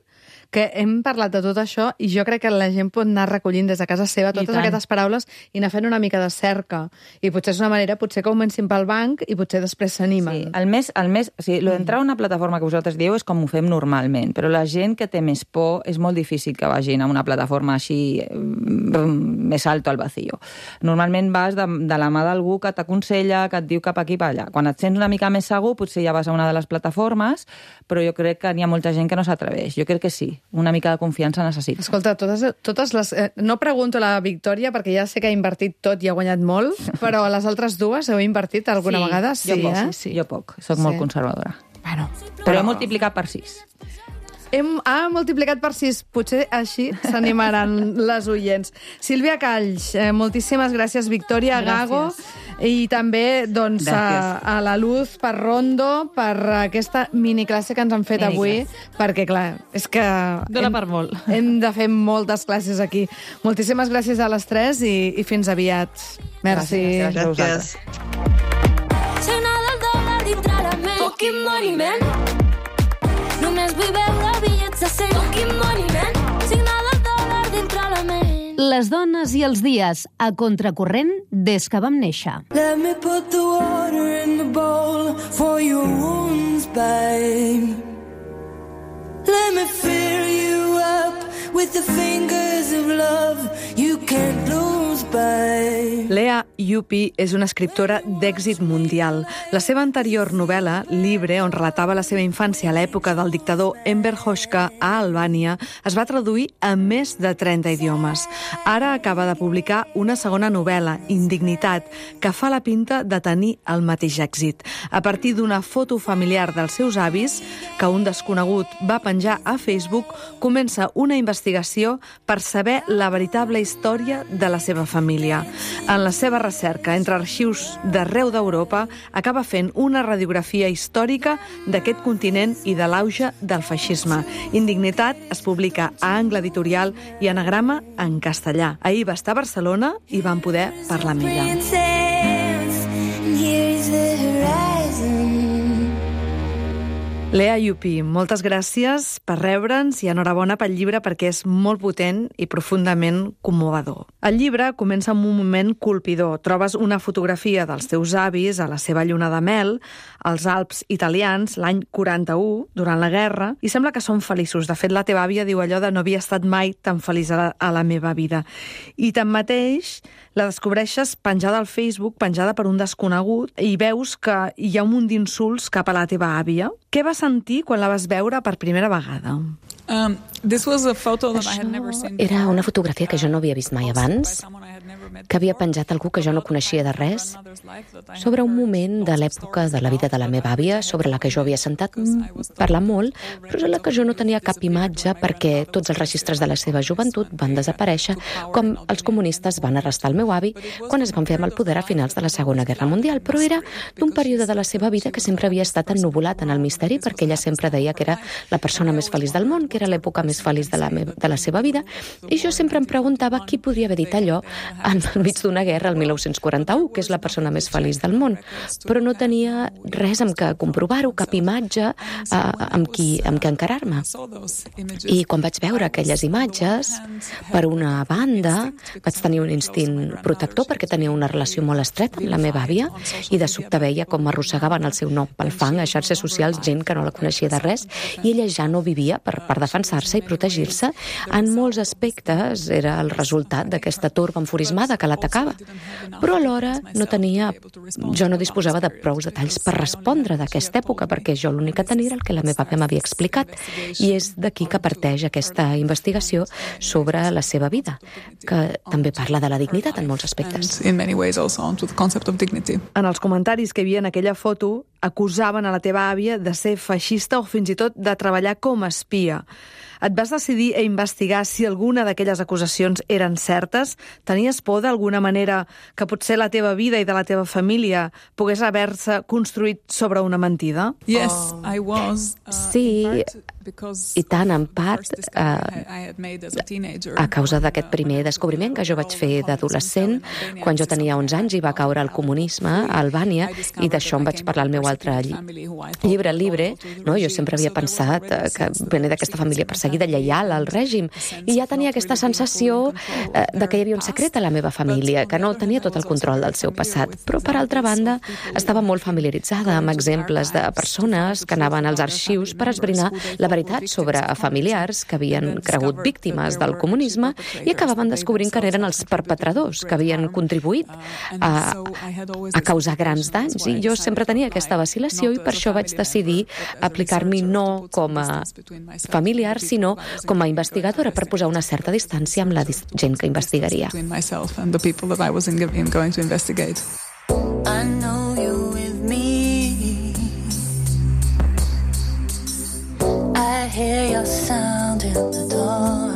Speaker 1: que hem parlat de tot això i jo crec que la gent pot anar recollint des de casa seva totes aquestes paraules i anar fent una mica de cerca. I potser és una manera, potser que comencin pel banc i potser després s'animen.
Speaker 4: Sí, el més, o sigui, d'entrar a una plataforma que vosaltres dieu és com ho fem normalment, però la gent que té més por és molt difícil que vagin a una plataforma així més alto al vacío. Normalment vas de la mà d'algú que t'aconsella, que et diu cap aquí, per allà. Quan et sents una mica més segur, potser ja vas a una de les plataformes, però jo crec que n'hi ha molta gent que no s'atreveix. Jo crec que sí. Una mica de confiança necessita.
Speaker 1: Escolta, totes les... no pregunto a la Victòria, perquè ja sé que ha invertit tot i ha guanyat molt, però a les altres dues heu invertit alguna vegada?
Speaker 4: Sí, jo poc. Soc molt conservadora.
Speaker 1: Bueno,
Speaker 4: però he multiplicat per 6.
Speaker 1: Ha multiplicat per 6. Potser així s'animaran les oients. Sílvia Calls, moltíssimes gràcies. Victòria Gago, i també doncs, a la Luz Parrondo per aquesta miniclasse que ens han fet avui, perquè, clar, és que...
Speaker 3: Dóna per molt.
Speaker 1: Hem de fer moltes classes aquí. Moltíssimes gràcies a les tres i fins aviat. Merci.
Speaker 4: Gràcies.
Speaker 6: Signal del dòlar dintre la ment. Fucking money, man. Només vull veure bitllets de 100. Fucking money, man. Signal del dòlar dintre la ment.
Speaker 7: Les dones i els dies, a contracorrent des que vam néixer.
Speaker 6: Let me put the water in the bowl for your wounds, babe. Let me fill you up with the fingers of love you can't lose, babe.
Speaker 1: Lea Ypi és una escriptora d'èxit mundial. La seva anterior novel·la, Libre, on relatava la seva infància a l'època del dictador Enver Hoxha a Albània, es va traduir a més de 30 idiomes. Ara acaba de publicar una segona novel·la, Indignitat, que fa la pinta de tenir el mateix èxit. A partir d'una foto familiar dels seus avis, que un desconegut va penjar a Facebook, comença una investigació per saber la veritable història de la seva família. En la seva recerca entre arxius d'arreu d'Europa, acaba fent una radiografia històrica d'aquest continent i de l'auge del feixisme. Indignitat es publica a Angle Editorial i Anagrama en castellà. Ahir va estar a Barcelona i vam poder parlar amb ella. Lea Yupi, moltes gràcies per rebre'ns i enhorabona pel llibre perquè és molt potent i profundament commovedor. El llibre comença amb un moment colpidor. Trobes una fotografia dels teus avis a la seva lluna de mel, als Alps italians, l'any 41, durant la guerra, i sembla que són feliços. De fet, la teva àvia diu allò de no havia estat mai tan feliç a la meva vida. I tanmateix, la descobreixes penjada al Facebook, penjada per un desconegut, i veus que hi ha un munt d'insults cap a la teva àvia. Què vas sentir quan la vas veure per primera vegada?
Speaker 8: Això era una fotografia que jo no havia vist mai abans, que havia penjat algú que jo no coneixia de res, sobre un moment de l'època de la vida de la meva àvia, sobre la que jo havia sentat parlar molt, però sobre la que jo no tenia cap imatge perquè tots els registres de la seva joventut van desaparèixer, com els comunistes van arrestar el meu avi quan es van fer amb el poder a finals de la Segona Guerra Mundial, però era d'un període de la seva vida que sempre havia estat ennuvolat en el misteri, perquè ella sempre deia que era la persona més feliç del món, que era l'època més feliç de la seva vida, i jo sempre em preguntava qui podria haver dit allò enmig d'una guerra el 1941, que és la persona més feliç del món, però no tenia res amb què comprovar-ho, cap imatge amb què encarar-me. I quan vaig veure aquelles imatges, per una banda, vaig tenir un instint protector perquè tenia una relació molt estreta amb la meva àvia i de sobte veia com arrossegaven el seu nom pel fang a xarxes socials gent que no la coneixia de res i ella ja no vivia per defensar-se i protegir-se. En molts aspectes era el resultat d'aquesta torba enfurismada que l'atacava. Però alhora jo no disposava de prou detalls per respondre d'aquesta època perquè jo l'únic que tenia era el que la meva àvia m'havia explicat i és d'aquí que parteix aquesta investigació sobre la seva vida, que també parla de la dignitat en molts aspectes.
Speaker 1: En els comentaris que hi havia en aquella foto acusaven a la teva àvia de ser feixista o fins i tot de treballar com a espia. Et vas decidir a investigar si alguna d'aquelles acusacions eren certes? Tenies por d'alguna manera que potser la teva vida i de la teva família pogués haver-se construït sobre una mentida?
Speaker 8: Sí, i tant, en part, a causa d'aquest primer descobriment que jo vaig fer d'adolescent, quan jo tenia 11 anys i va caure el comunisme a Albània, i d'això em vaig parlar al meu altre llibre, Libre, no? Jo sempre havia pensat que venia d'aquesta família perseguida, lleial al règim, i ja tenia aquesta sensació de que hi havia un secret a la meva família, que no tenia tot el control del seu passat. Però, per altra banda, estava molt familiaritzada amb exemples de persones que anaven als arxius per esbrinar la veritat sobre familiars que havien cregut víctimes del comunisme i acabaven descobrint que eren els perpetradors, que havien contribuït a causar grans danys. I jo sempre tenia aquesta vacil·lació i per això vaig decidir aplicar-m'hi no com a familiar, sinó com a investigadora, per posar una certa distància amb la gent que investigaria.
Speaker 9: I know you with me. I hear your sound in the door.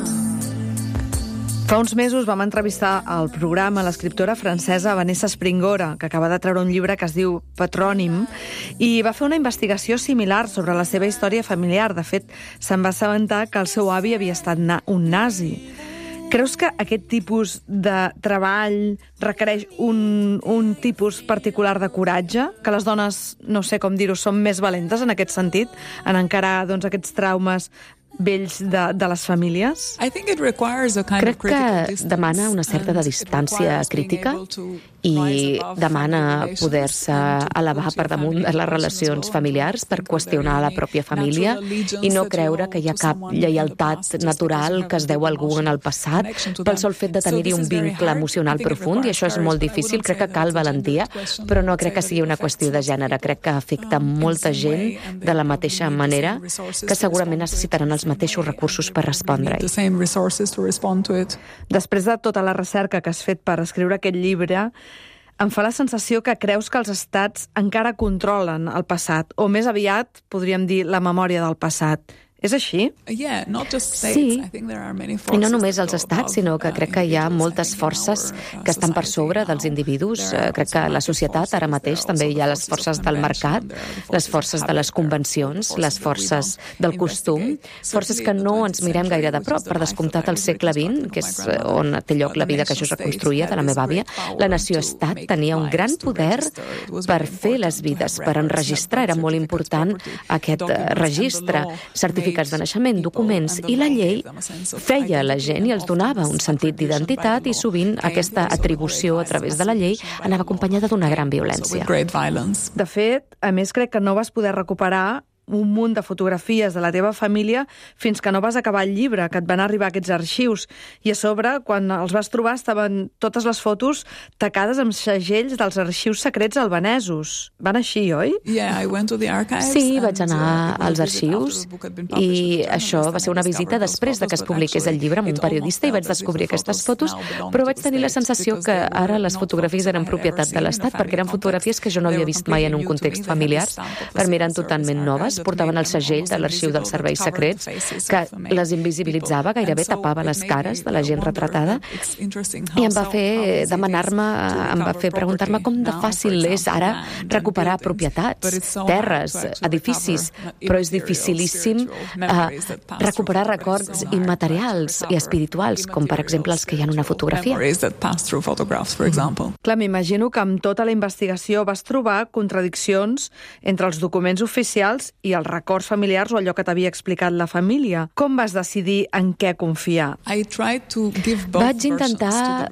Speaker 1: Fa uns mesos vam entrevistar al programa l'escriptora francesa Vanessa Springora, que acaba de treure un llibre que es diu Patrònim, i va fer una investigació similar sobre la seva història familiar. De fet, se'n va assabentar que el seu avi havia estat un nazi. Creus que aquest tipus de treball requereix un tipus particular de coratge? Que les dones, no sé com dir-ho, són més valentes en aquest sentit, en encarar aquests traumes vells de les famílies?
Speaker 8: Crec que demana una certa de distància crítica i demana poder-se elevar per damunt de les relacions familiars per qüestionar la pròpia família i no creure que hi ha cap lleialtat natural que es deu a algú en el passat pel sol fet de tenir-hi un vincle emocional profund, i això és molt difícil. Crec que cal valentia, però no crec que sigui una qüestió de gènere. Crec que afecta molta gent de la mateixa manera, que segurament necessitaran els mateixos recursos per respondre-hi.
Speaker 1: Després de tota la recerca que has fet per escriure aquest llibre, em fa la sensació que creus que els estats encara controlen el passat, o més aviat, podríem dir, la memòria del passat. És així?
Speaker 8: Sí, i no només els estats, sinó que crec que hi ha moltes forces que estan per sobre dels individus. Crec que a la societat ara mateix també hi ha les forces del mercat, les forces de les convencions, les forces del costum, forces que no ens mirem gaire de prop. Per descomptat, al segle XX, que és on té lloc la vida que jo es reconstruïa de la meva àvia, la nació-estat tenia un gran poder per fer les vides, per enregistrar. Era molt important aquest registre, certificats de naixement, documents, i la llei feia a la gent i els donava un sentit d'identitat i sovint aquesta atribució a través de la llei anava acompanyada d'una gran violència.
Speaker 1: De fet, a més, crec que no vas poder recuperar un munt de fotografies de la teva família fins que no vas acabar el llibre, que et van arribar aquests arxius. I a sobre, quan els vas trobar, estaven totes les fotos tacades amb segells dels arxius secrets albanesos. Van així, oi?
Speaker 8: Sí, vaig anar als arxius i això va ser una visita després de que es publiqués el llibre amb un periodista i vaig descobrir aquestes fotos, però vaig tenir la sensació que ara les fotografies eren propietat de l'Estat perquè eren fotografies que jo no havia vist mai en un context familiar. Per mi eren totalment noves, portaven el segell de l'arxiu dels serveis secrets, que les invisibilitzava, gairebé tapava les cares de la gent retratada, i em va fer preguntar-me com de fàcil és ara recuperar propietats, terres, edificis, però és dificilíssim recuperar records immaterials i espirituals, com per exemple els que hi ha en una fotografia.
Speaker 1: Clar, m'imagino que amb tota la investigació vas trobar contradiccions entre els documents oficials i els records familiars o allò que t'havia explicat la família. Com vas decidir en què confiar?
Speaker 8: Vaig intentar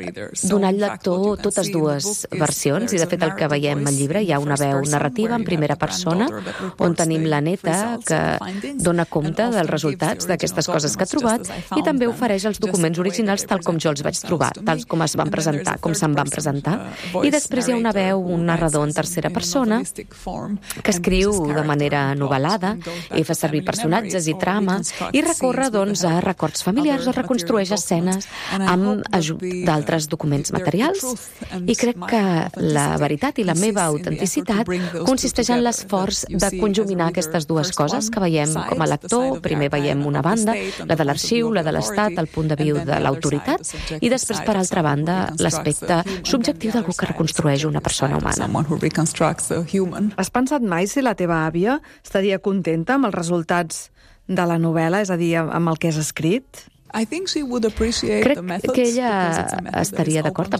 Speaker 8: donar al lector totes dues versions i de fet el que veiem al llibre hi ha una veu narrativa en primera persona on tenim la neta que dona compte dels resultats d'aquestes coses que ha trobat i també ofereix els documents originals tal com jo els vaig trobar, tal com es van presentar, com se'n van presentar. I després hi ha una veu, un narrador en tercera persona que escriu de manera novel·lada i fa servir personatges i trama i recorre doncs a records familiars o reconstrueix escenes amb ajut d'altres documents materials i crec que la veritat i la meva autenticitat consisteix en l'esforç de conjuminar aquestes dues coses que veiem com a lector. Primer veiem una banda, la de l'arxiu, la de l'Estat, el punt de vista de l'autoritat i després, per altra banda, l'aspecte subjectiu d'algú que reconstrueix una persona humana.
Speaker 1: Has pensat mai si la teva àvia estaria contenta amb els resultats de la novel·la, és a dir, amb el que has escrit?
Speaker 8: Crec que ella estaria d'acord,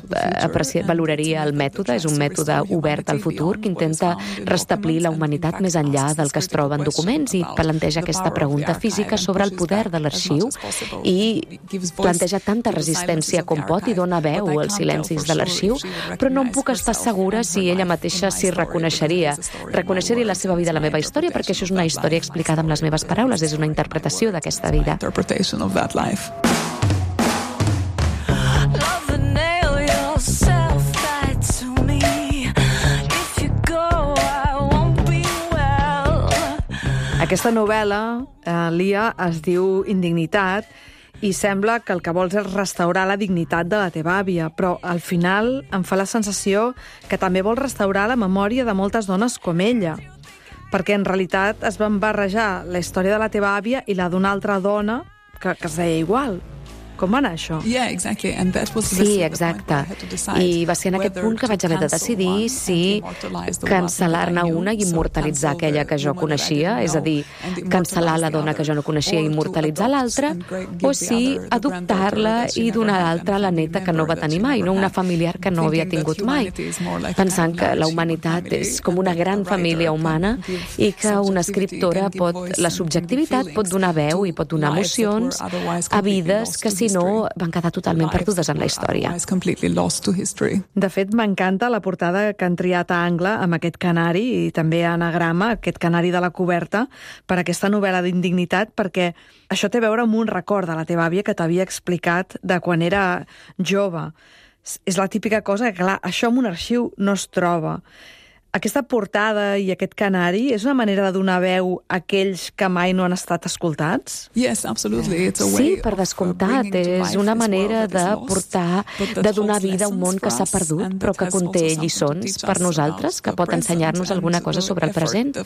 Speaker 8: valoraria el mètode, és un mètode obert al futur que intenta restablir la humanitat més enllà del que es troba en documents i planteja aquesta pregunta física sobre el poder de l'arxiu i planteja tanta resistència com pot i dona veu als silencis de l'arxiu, però no em puc estar segura si ella mateixa s'hi reconeixeria la seva vida, la meva història, perquè això és una història explicada amb les meves paraules, és una interpretació d'aquesta vida.
Speaker 1: Aquesta novel·la, Lia, es diu Indignitat i sembla que el que vols és restaurar la dignitat de la teva àvia, però al final em fa la sensació que també vols restaurar la memòria de moltes dones com ella, perquè en realitat es van barrejar la història de la teva àvia i la d'una altra dona que es deia igual. Com va anar això?
Speaker 8: Sí, exacte. I va ser en aquest punt que vaig haver de decidir si cancel·lar-ne una i immortalitzar aquella que jo coneixia, és a dir, cancel·lar la dona que jo no coneixia i immortalitzar l'altra, o si adoptar-la i donar l'altra a la neta que no va tenir mai, no una familiar que no havia tingut mai. Pensant que la humanitat és com una gran família humana i que una escriptora la subjectivitat pot donar veu i pot donar emocions a vides que si no van quedar totalment perdudes en la història.
Speaker 1: De fet, m'encanta la portada que han triat a angle amb aquest canari i també a anagrama, aquest canari de la coberta, per aquesta novel·la d'Indignitat, perquè això té a veure amb un record de la teva àvia que t'havia explicat de quan era jove. És la típica cosa que, clar, això en un arxiu no es troba. Aquesta portada i aquest canari és una manera de donar veu a aquells que mai no han estat escoltats?
Speaker 8: Sí, per descomptat. És una manera de donar vida a un món que s'ha perdut, però que conté lliçons per nosaltres, que pot ensenyar-nos alguna cosa sobre el present.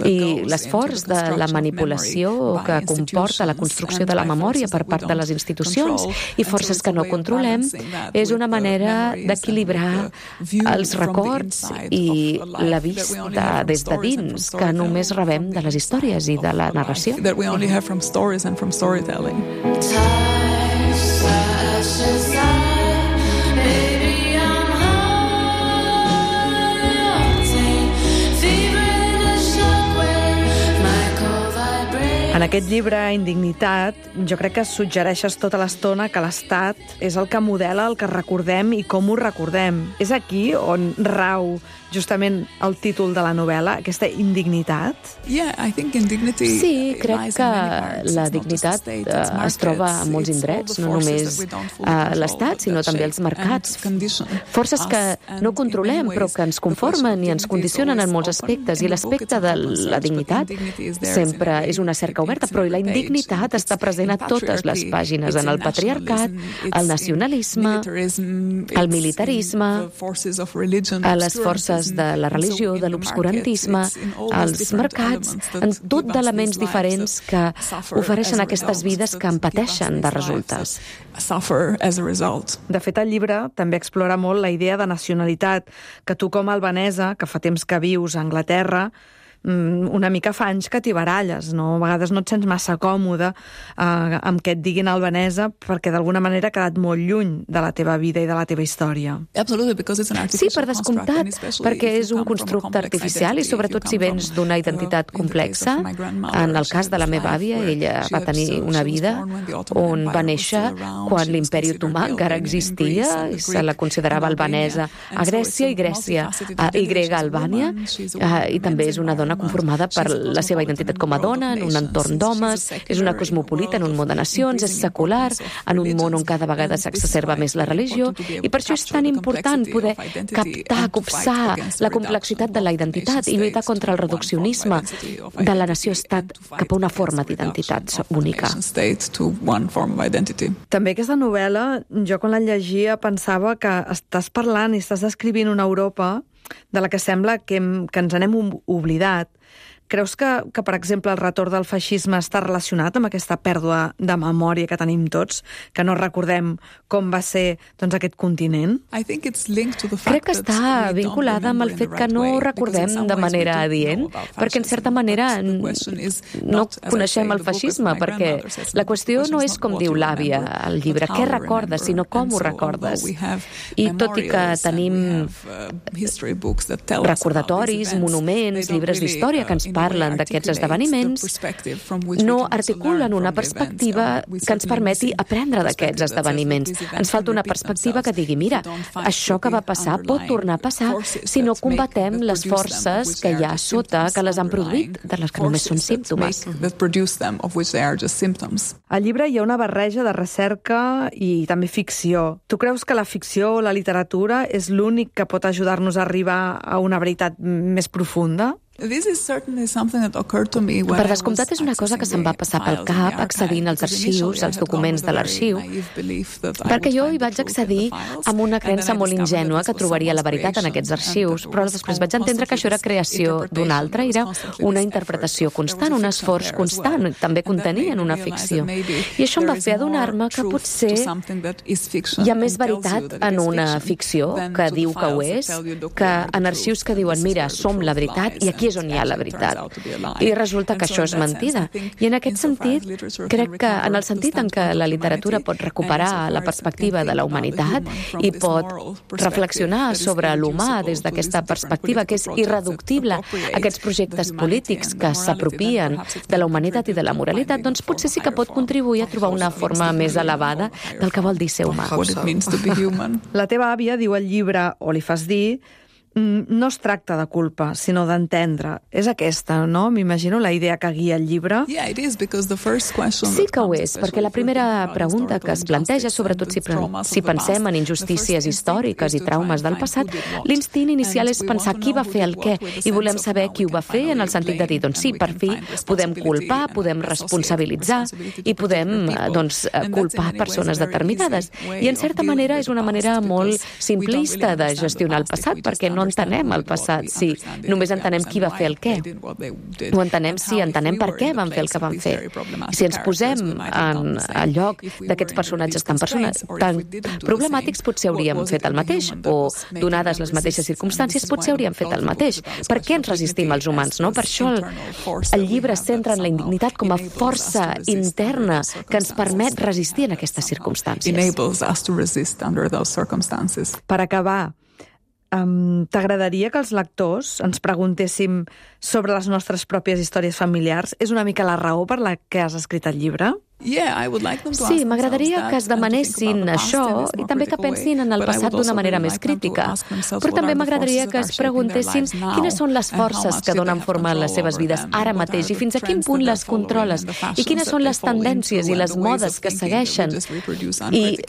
Speaker 8: I l'esforç de la manipulació que comporta la construcció de la memòria per part de les institucions i forces que no controlem és una manera d'equilibrar els records i la vista des de dins que només rebem de les històries i de la narració.
Speaker 1: En aquest llibre, Indignitat, jo crec que suggereixes tota l'estona que l'Estat és el que modela el que recordem i com ho recordem. És aquí on rau justament el títol de la novel·la, aquesta indignitat?
Speaker 8: Sí, crec que la dignitat es troba a molts indrets, no només a l'Estat, sinó també als mercats. Forces que no controlem, però que ens conformen i ens condicionen en molts aspectes. I l'aspecte de la dignitat sempre és una cerca oberta, però la indignitat està present a totes les pàgines, en el patriarcat, el nacionalisme, el militarisme, a les forces de la religió, de l'obscurantisme, als mercats, en tot d'elements diferents que ofereixen aquestes vides que en pateixen de resultes.
Speaker 1: De fet, el llibre també explora molt la idea de nacionalitat, que tu com a albanesa, que fa temps que vius a Anglaterra, una mica fa anys que t'hi baralles, no? A vegades no et sents massa còmode amb que et diguin albanesa perquè d'alguna manera ha quedat molt lluny de la teva vida i de la teva història.
Speaker 8: Sí, per descomptat, perquè és un constructe artificial i sobretot si vens d'una identitat complexa. En el cas de la meva àvia, ella va tenir una vida on va néixer quan l'imperi otomà encara existia i se la considerava albanesa a Grècia i grega a Albània, i també és una dona conformada per la seva identitat com a dona, en un entorn d'homes, és una cosmopolita en un món de nacions, és secular, en un món on cada vegada s'exacerba més la religió, i per això és tan important poder captar, copsar la complexitat de la identitat i lluitar contra el reduccionisme de la nació-estat cap a una forma d'identitat única.
Speaker 1: També aquesta novel·la, jo quan la llegia pensava que estàs parlant i estàs descrivint una Europa de la que sembla que ens n'hem oblidat. Creus que, per exemple, el retorn del feixisme està relacionat amb aquesta pèrdua de memòria que tenim tots, que no recordem com va ser aquest continent?
Speaker 8: Crec que està vinculada amb el fet que no recordem de manera adient, perquè en certa manera no coneixem el feixisme, perquè la qüestió no és com diu l'àvia al llibre, què recordes, sinó com ho recordes. I tot i que tenim recordatoris, monuments, llibres d'història que ens parlen d'aquests esdeveniments, no articulen una perspectiva que ens permeti aprendre d'aquests esdeveniments. Ens falta una perspectiva que digui, mira, això que va passar pot tornar a passar si no combatem les forces que hi ha sota, que les han produït, de les que només són símptomes.
Speaker 1: Al llibre hi ha una barreja de recerca i també ficció. Tu creus que la ficció o la literatura és l'únic que pot ajudar-nos a arribar a una veritat més profunda?
Speaker 8: Per descomptat és una cosa que se'm va passar pel cap accedint als arxius, als documents de l'arxiu, perquè jo hi vaig accedir amb una creença molt ingènua que trobaria la veritat en aquests arxius, però després vaig entendre que això era creació d'un altre, era una interpretació constant, un esforç constant, també contenien una ficció. I això em va fer adonar-me que potser hi ha més veritat en una ficció que diu que ho és, que en arxius que diuen, mira, som la veritat i aquí és on hi ha la veritat. I resulta que això és mentida. I en aquest sentit, crec que en el sentit en què la literatura pot recuperar la perspectiva de la humanitat i pot reflexionar sobre l'humà des d'aquesta perspectiva que és irreductible, aquests projectes polítics que s'apropien de la humanitat i de la moralitat, doncs potser sí que pot contribuir a trobar una forma més elevada del que vol dir ser humà.
Speaker 1: La teva àvia diu al llibre, o li fas dir, no es tracta de culpa, sinó d'entendre. És aquesta, no? M'imagino la idea que guia el llibre.
Speaker 8: Sí que ho és, perquè la primera pregunta que es planteja, sobretot si pensem en injustícies històriques i traumes del passat, l'instint inicial és pensar qui va fer el què, i volem saber qui ho va fer en el sentit de dir, doncs sí, per fi podem culpar, podem responsabilitzar i podem, culpar persones determinades. I en certa manera és una manera molt simplista de gestionar el passat, perquè no entenem el passat, si només entenem qui va fer el què. Ho entenem si entenem per què van fer el que van fer. Si ens posem en el lloc d'aquests personatges tan problemàtics, potser hauríem fet el mateix, o donades les mateixes circumstàncies, potser hauríem fet el mateix. Per què ens resistim els humans, no? Per això el llibre es centra en la indignitat com a força interna que ens permet resistir en aquestes circumstàncies.
Speaker 1: Per acabar, t'agradaria que els lectors ens preguntéssim sobre les nostres pròpies històries familiars? És una mica la raó per la que has escrit el llibre?
Speaker 8: Sí, m'agradaria que es demanessin això i també que pensin en el passat d'una manera més crítica. Però també m'agradaria que es preguntessin quines són les forces que donen forma a les seves vides ara mateix i fins a quin punt les controles i quines són les tendències i les modes que segueixen i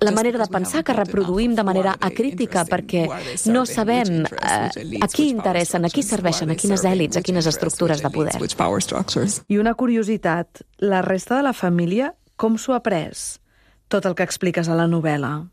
Speaker 8: la manera de pensar que reproduïm de manera acrítica perquè no sabem a qui interessen, a qui serveixen, a quines èlits, a quines estructures de poder.
Speaker 1: I una curiositat, la resta de la família com s'ho ha pres? Tot el que expliques a la novel·la.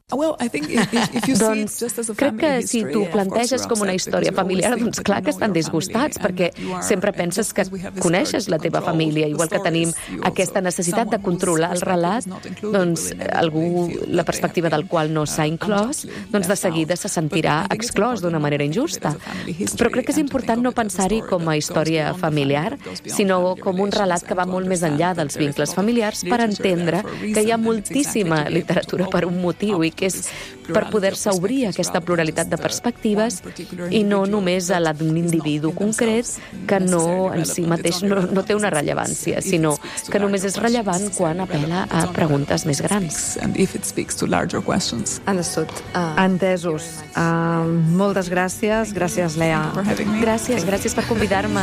Speaker 8: Doncs crec que si tu planteges com una història familiar, doncs clar que estan disgustats, perquè sempre penses que coneixes la teva família, igual que tenim aquesta necessitat de controlar el relat, doncs algú, la perspectiva del qual no s'ha inclòs, doncs de seguida se sentirà exclòs d'una manera injusta. Però crec que és important no pensar-hi com a història familiar, sinó com un relat que va molt més enllà dels vincles familiars per entendre que hi ha moltíssim literatura per un motiu i que és per poder-se obrir aquesta pluralitat de perspectives i no només a la d'un individu concret que no en si mateix no té una rellevància, sinó que només és rellevant quan apel·la a preguntes més grans.
Speaker 1: Entesos. Moltes gràcies. Gràcies, Lea.
Speaker 8: Gràcies per convidar-me.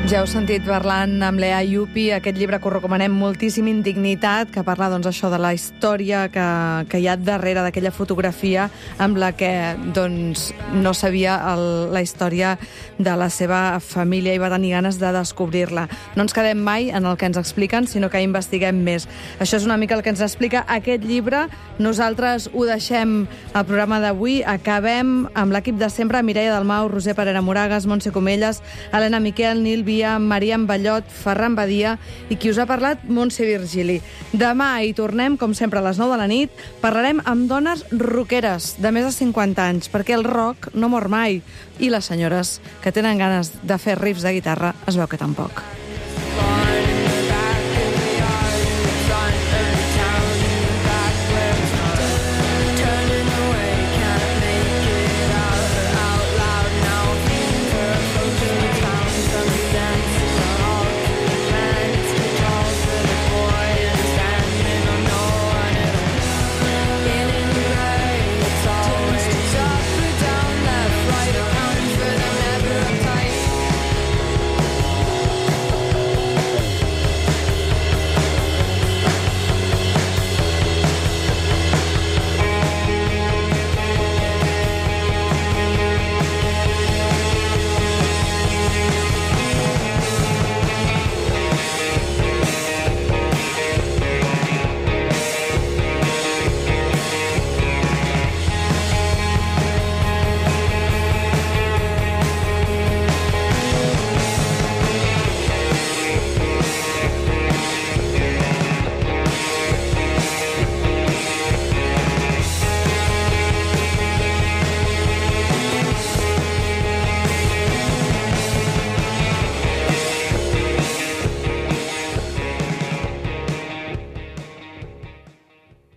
Speaker 1: Ja heu sentit parlant amb Lea Iyupi, aquest llibre que us recomanem moltíssim, Indignitat, que parla això de la història que hi ha darrere d'aquella fotografia amb la que no sabia la història de la seva família i va tenir ganes de descobrir-la. No ens quedem mai en el que ens expliquen, sinó que investiguem més. Això és una mica el que ens explica aquest llibre. Nosaltres ho deixem al programa d'avui. Acabem amb l'equip de sempre, Mireia Dalmau, Roser Parera Moragas, Montse Comelles, Helena Miquel, Nil Via, Maria Ballot, Ferran Badia i qui us ha parlat, Montse Virgili. Demà hi tornem, com sempre, a les 9 de la nit. Parlarem amb dones rockeres de més de 50 anys, perquè el rock no mor mai. I les senyores que tenen ganes de fer riffs de guitarra es veu que tampoc.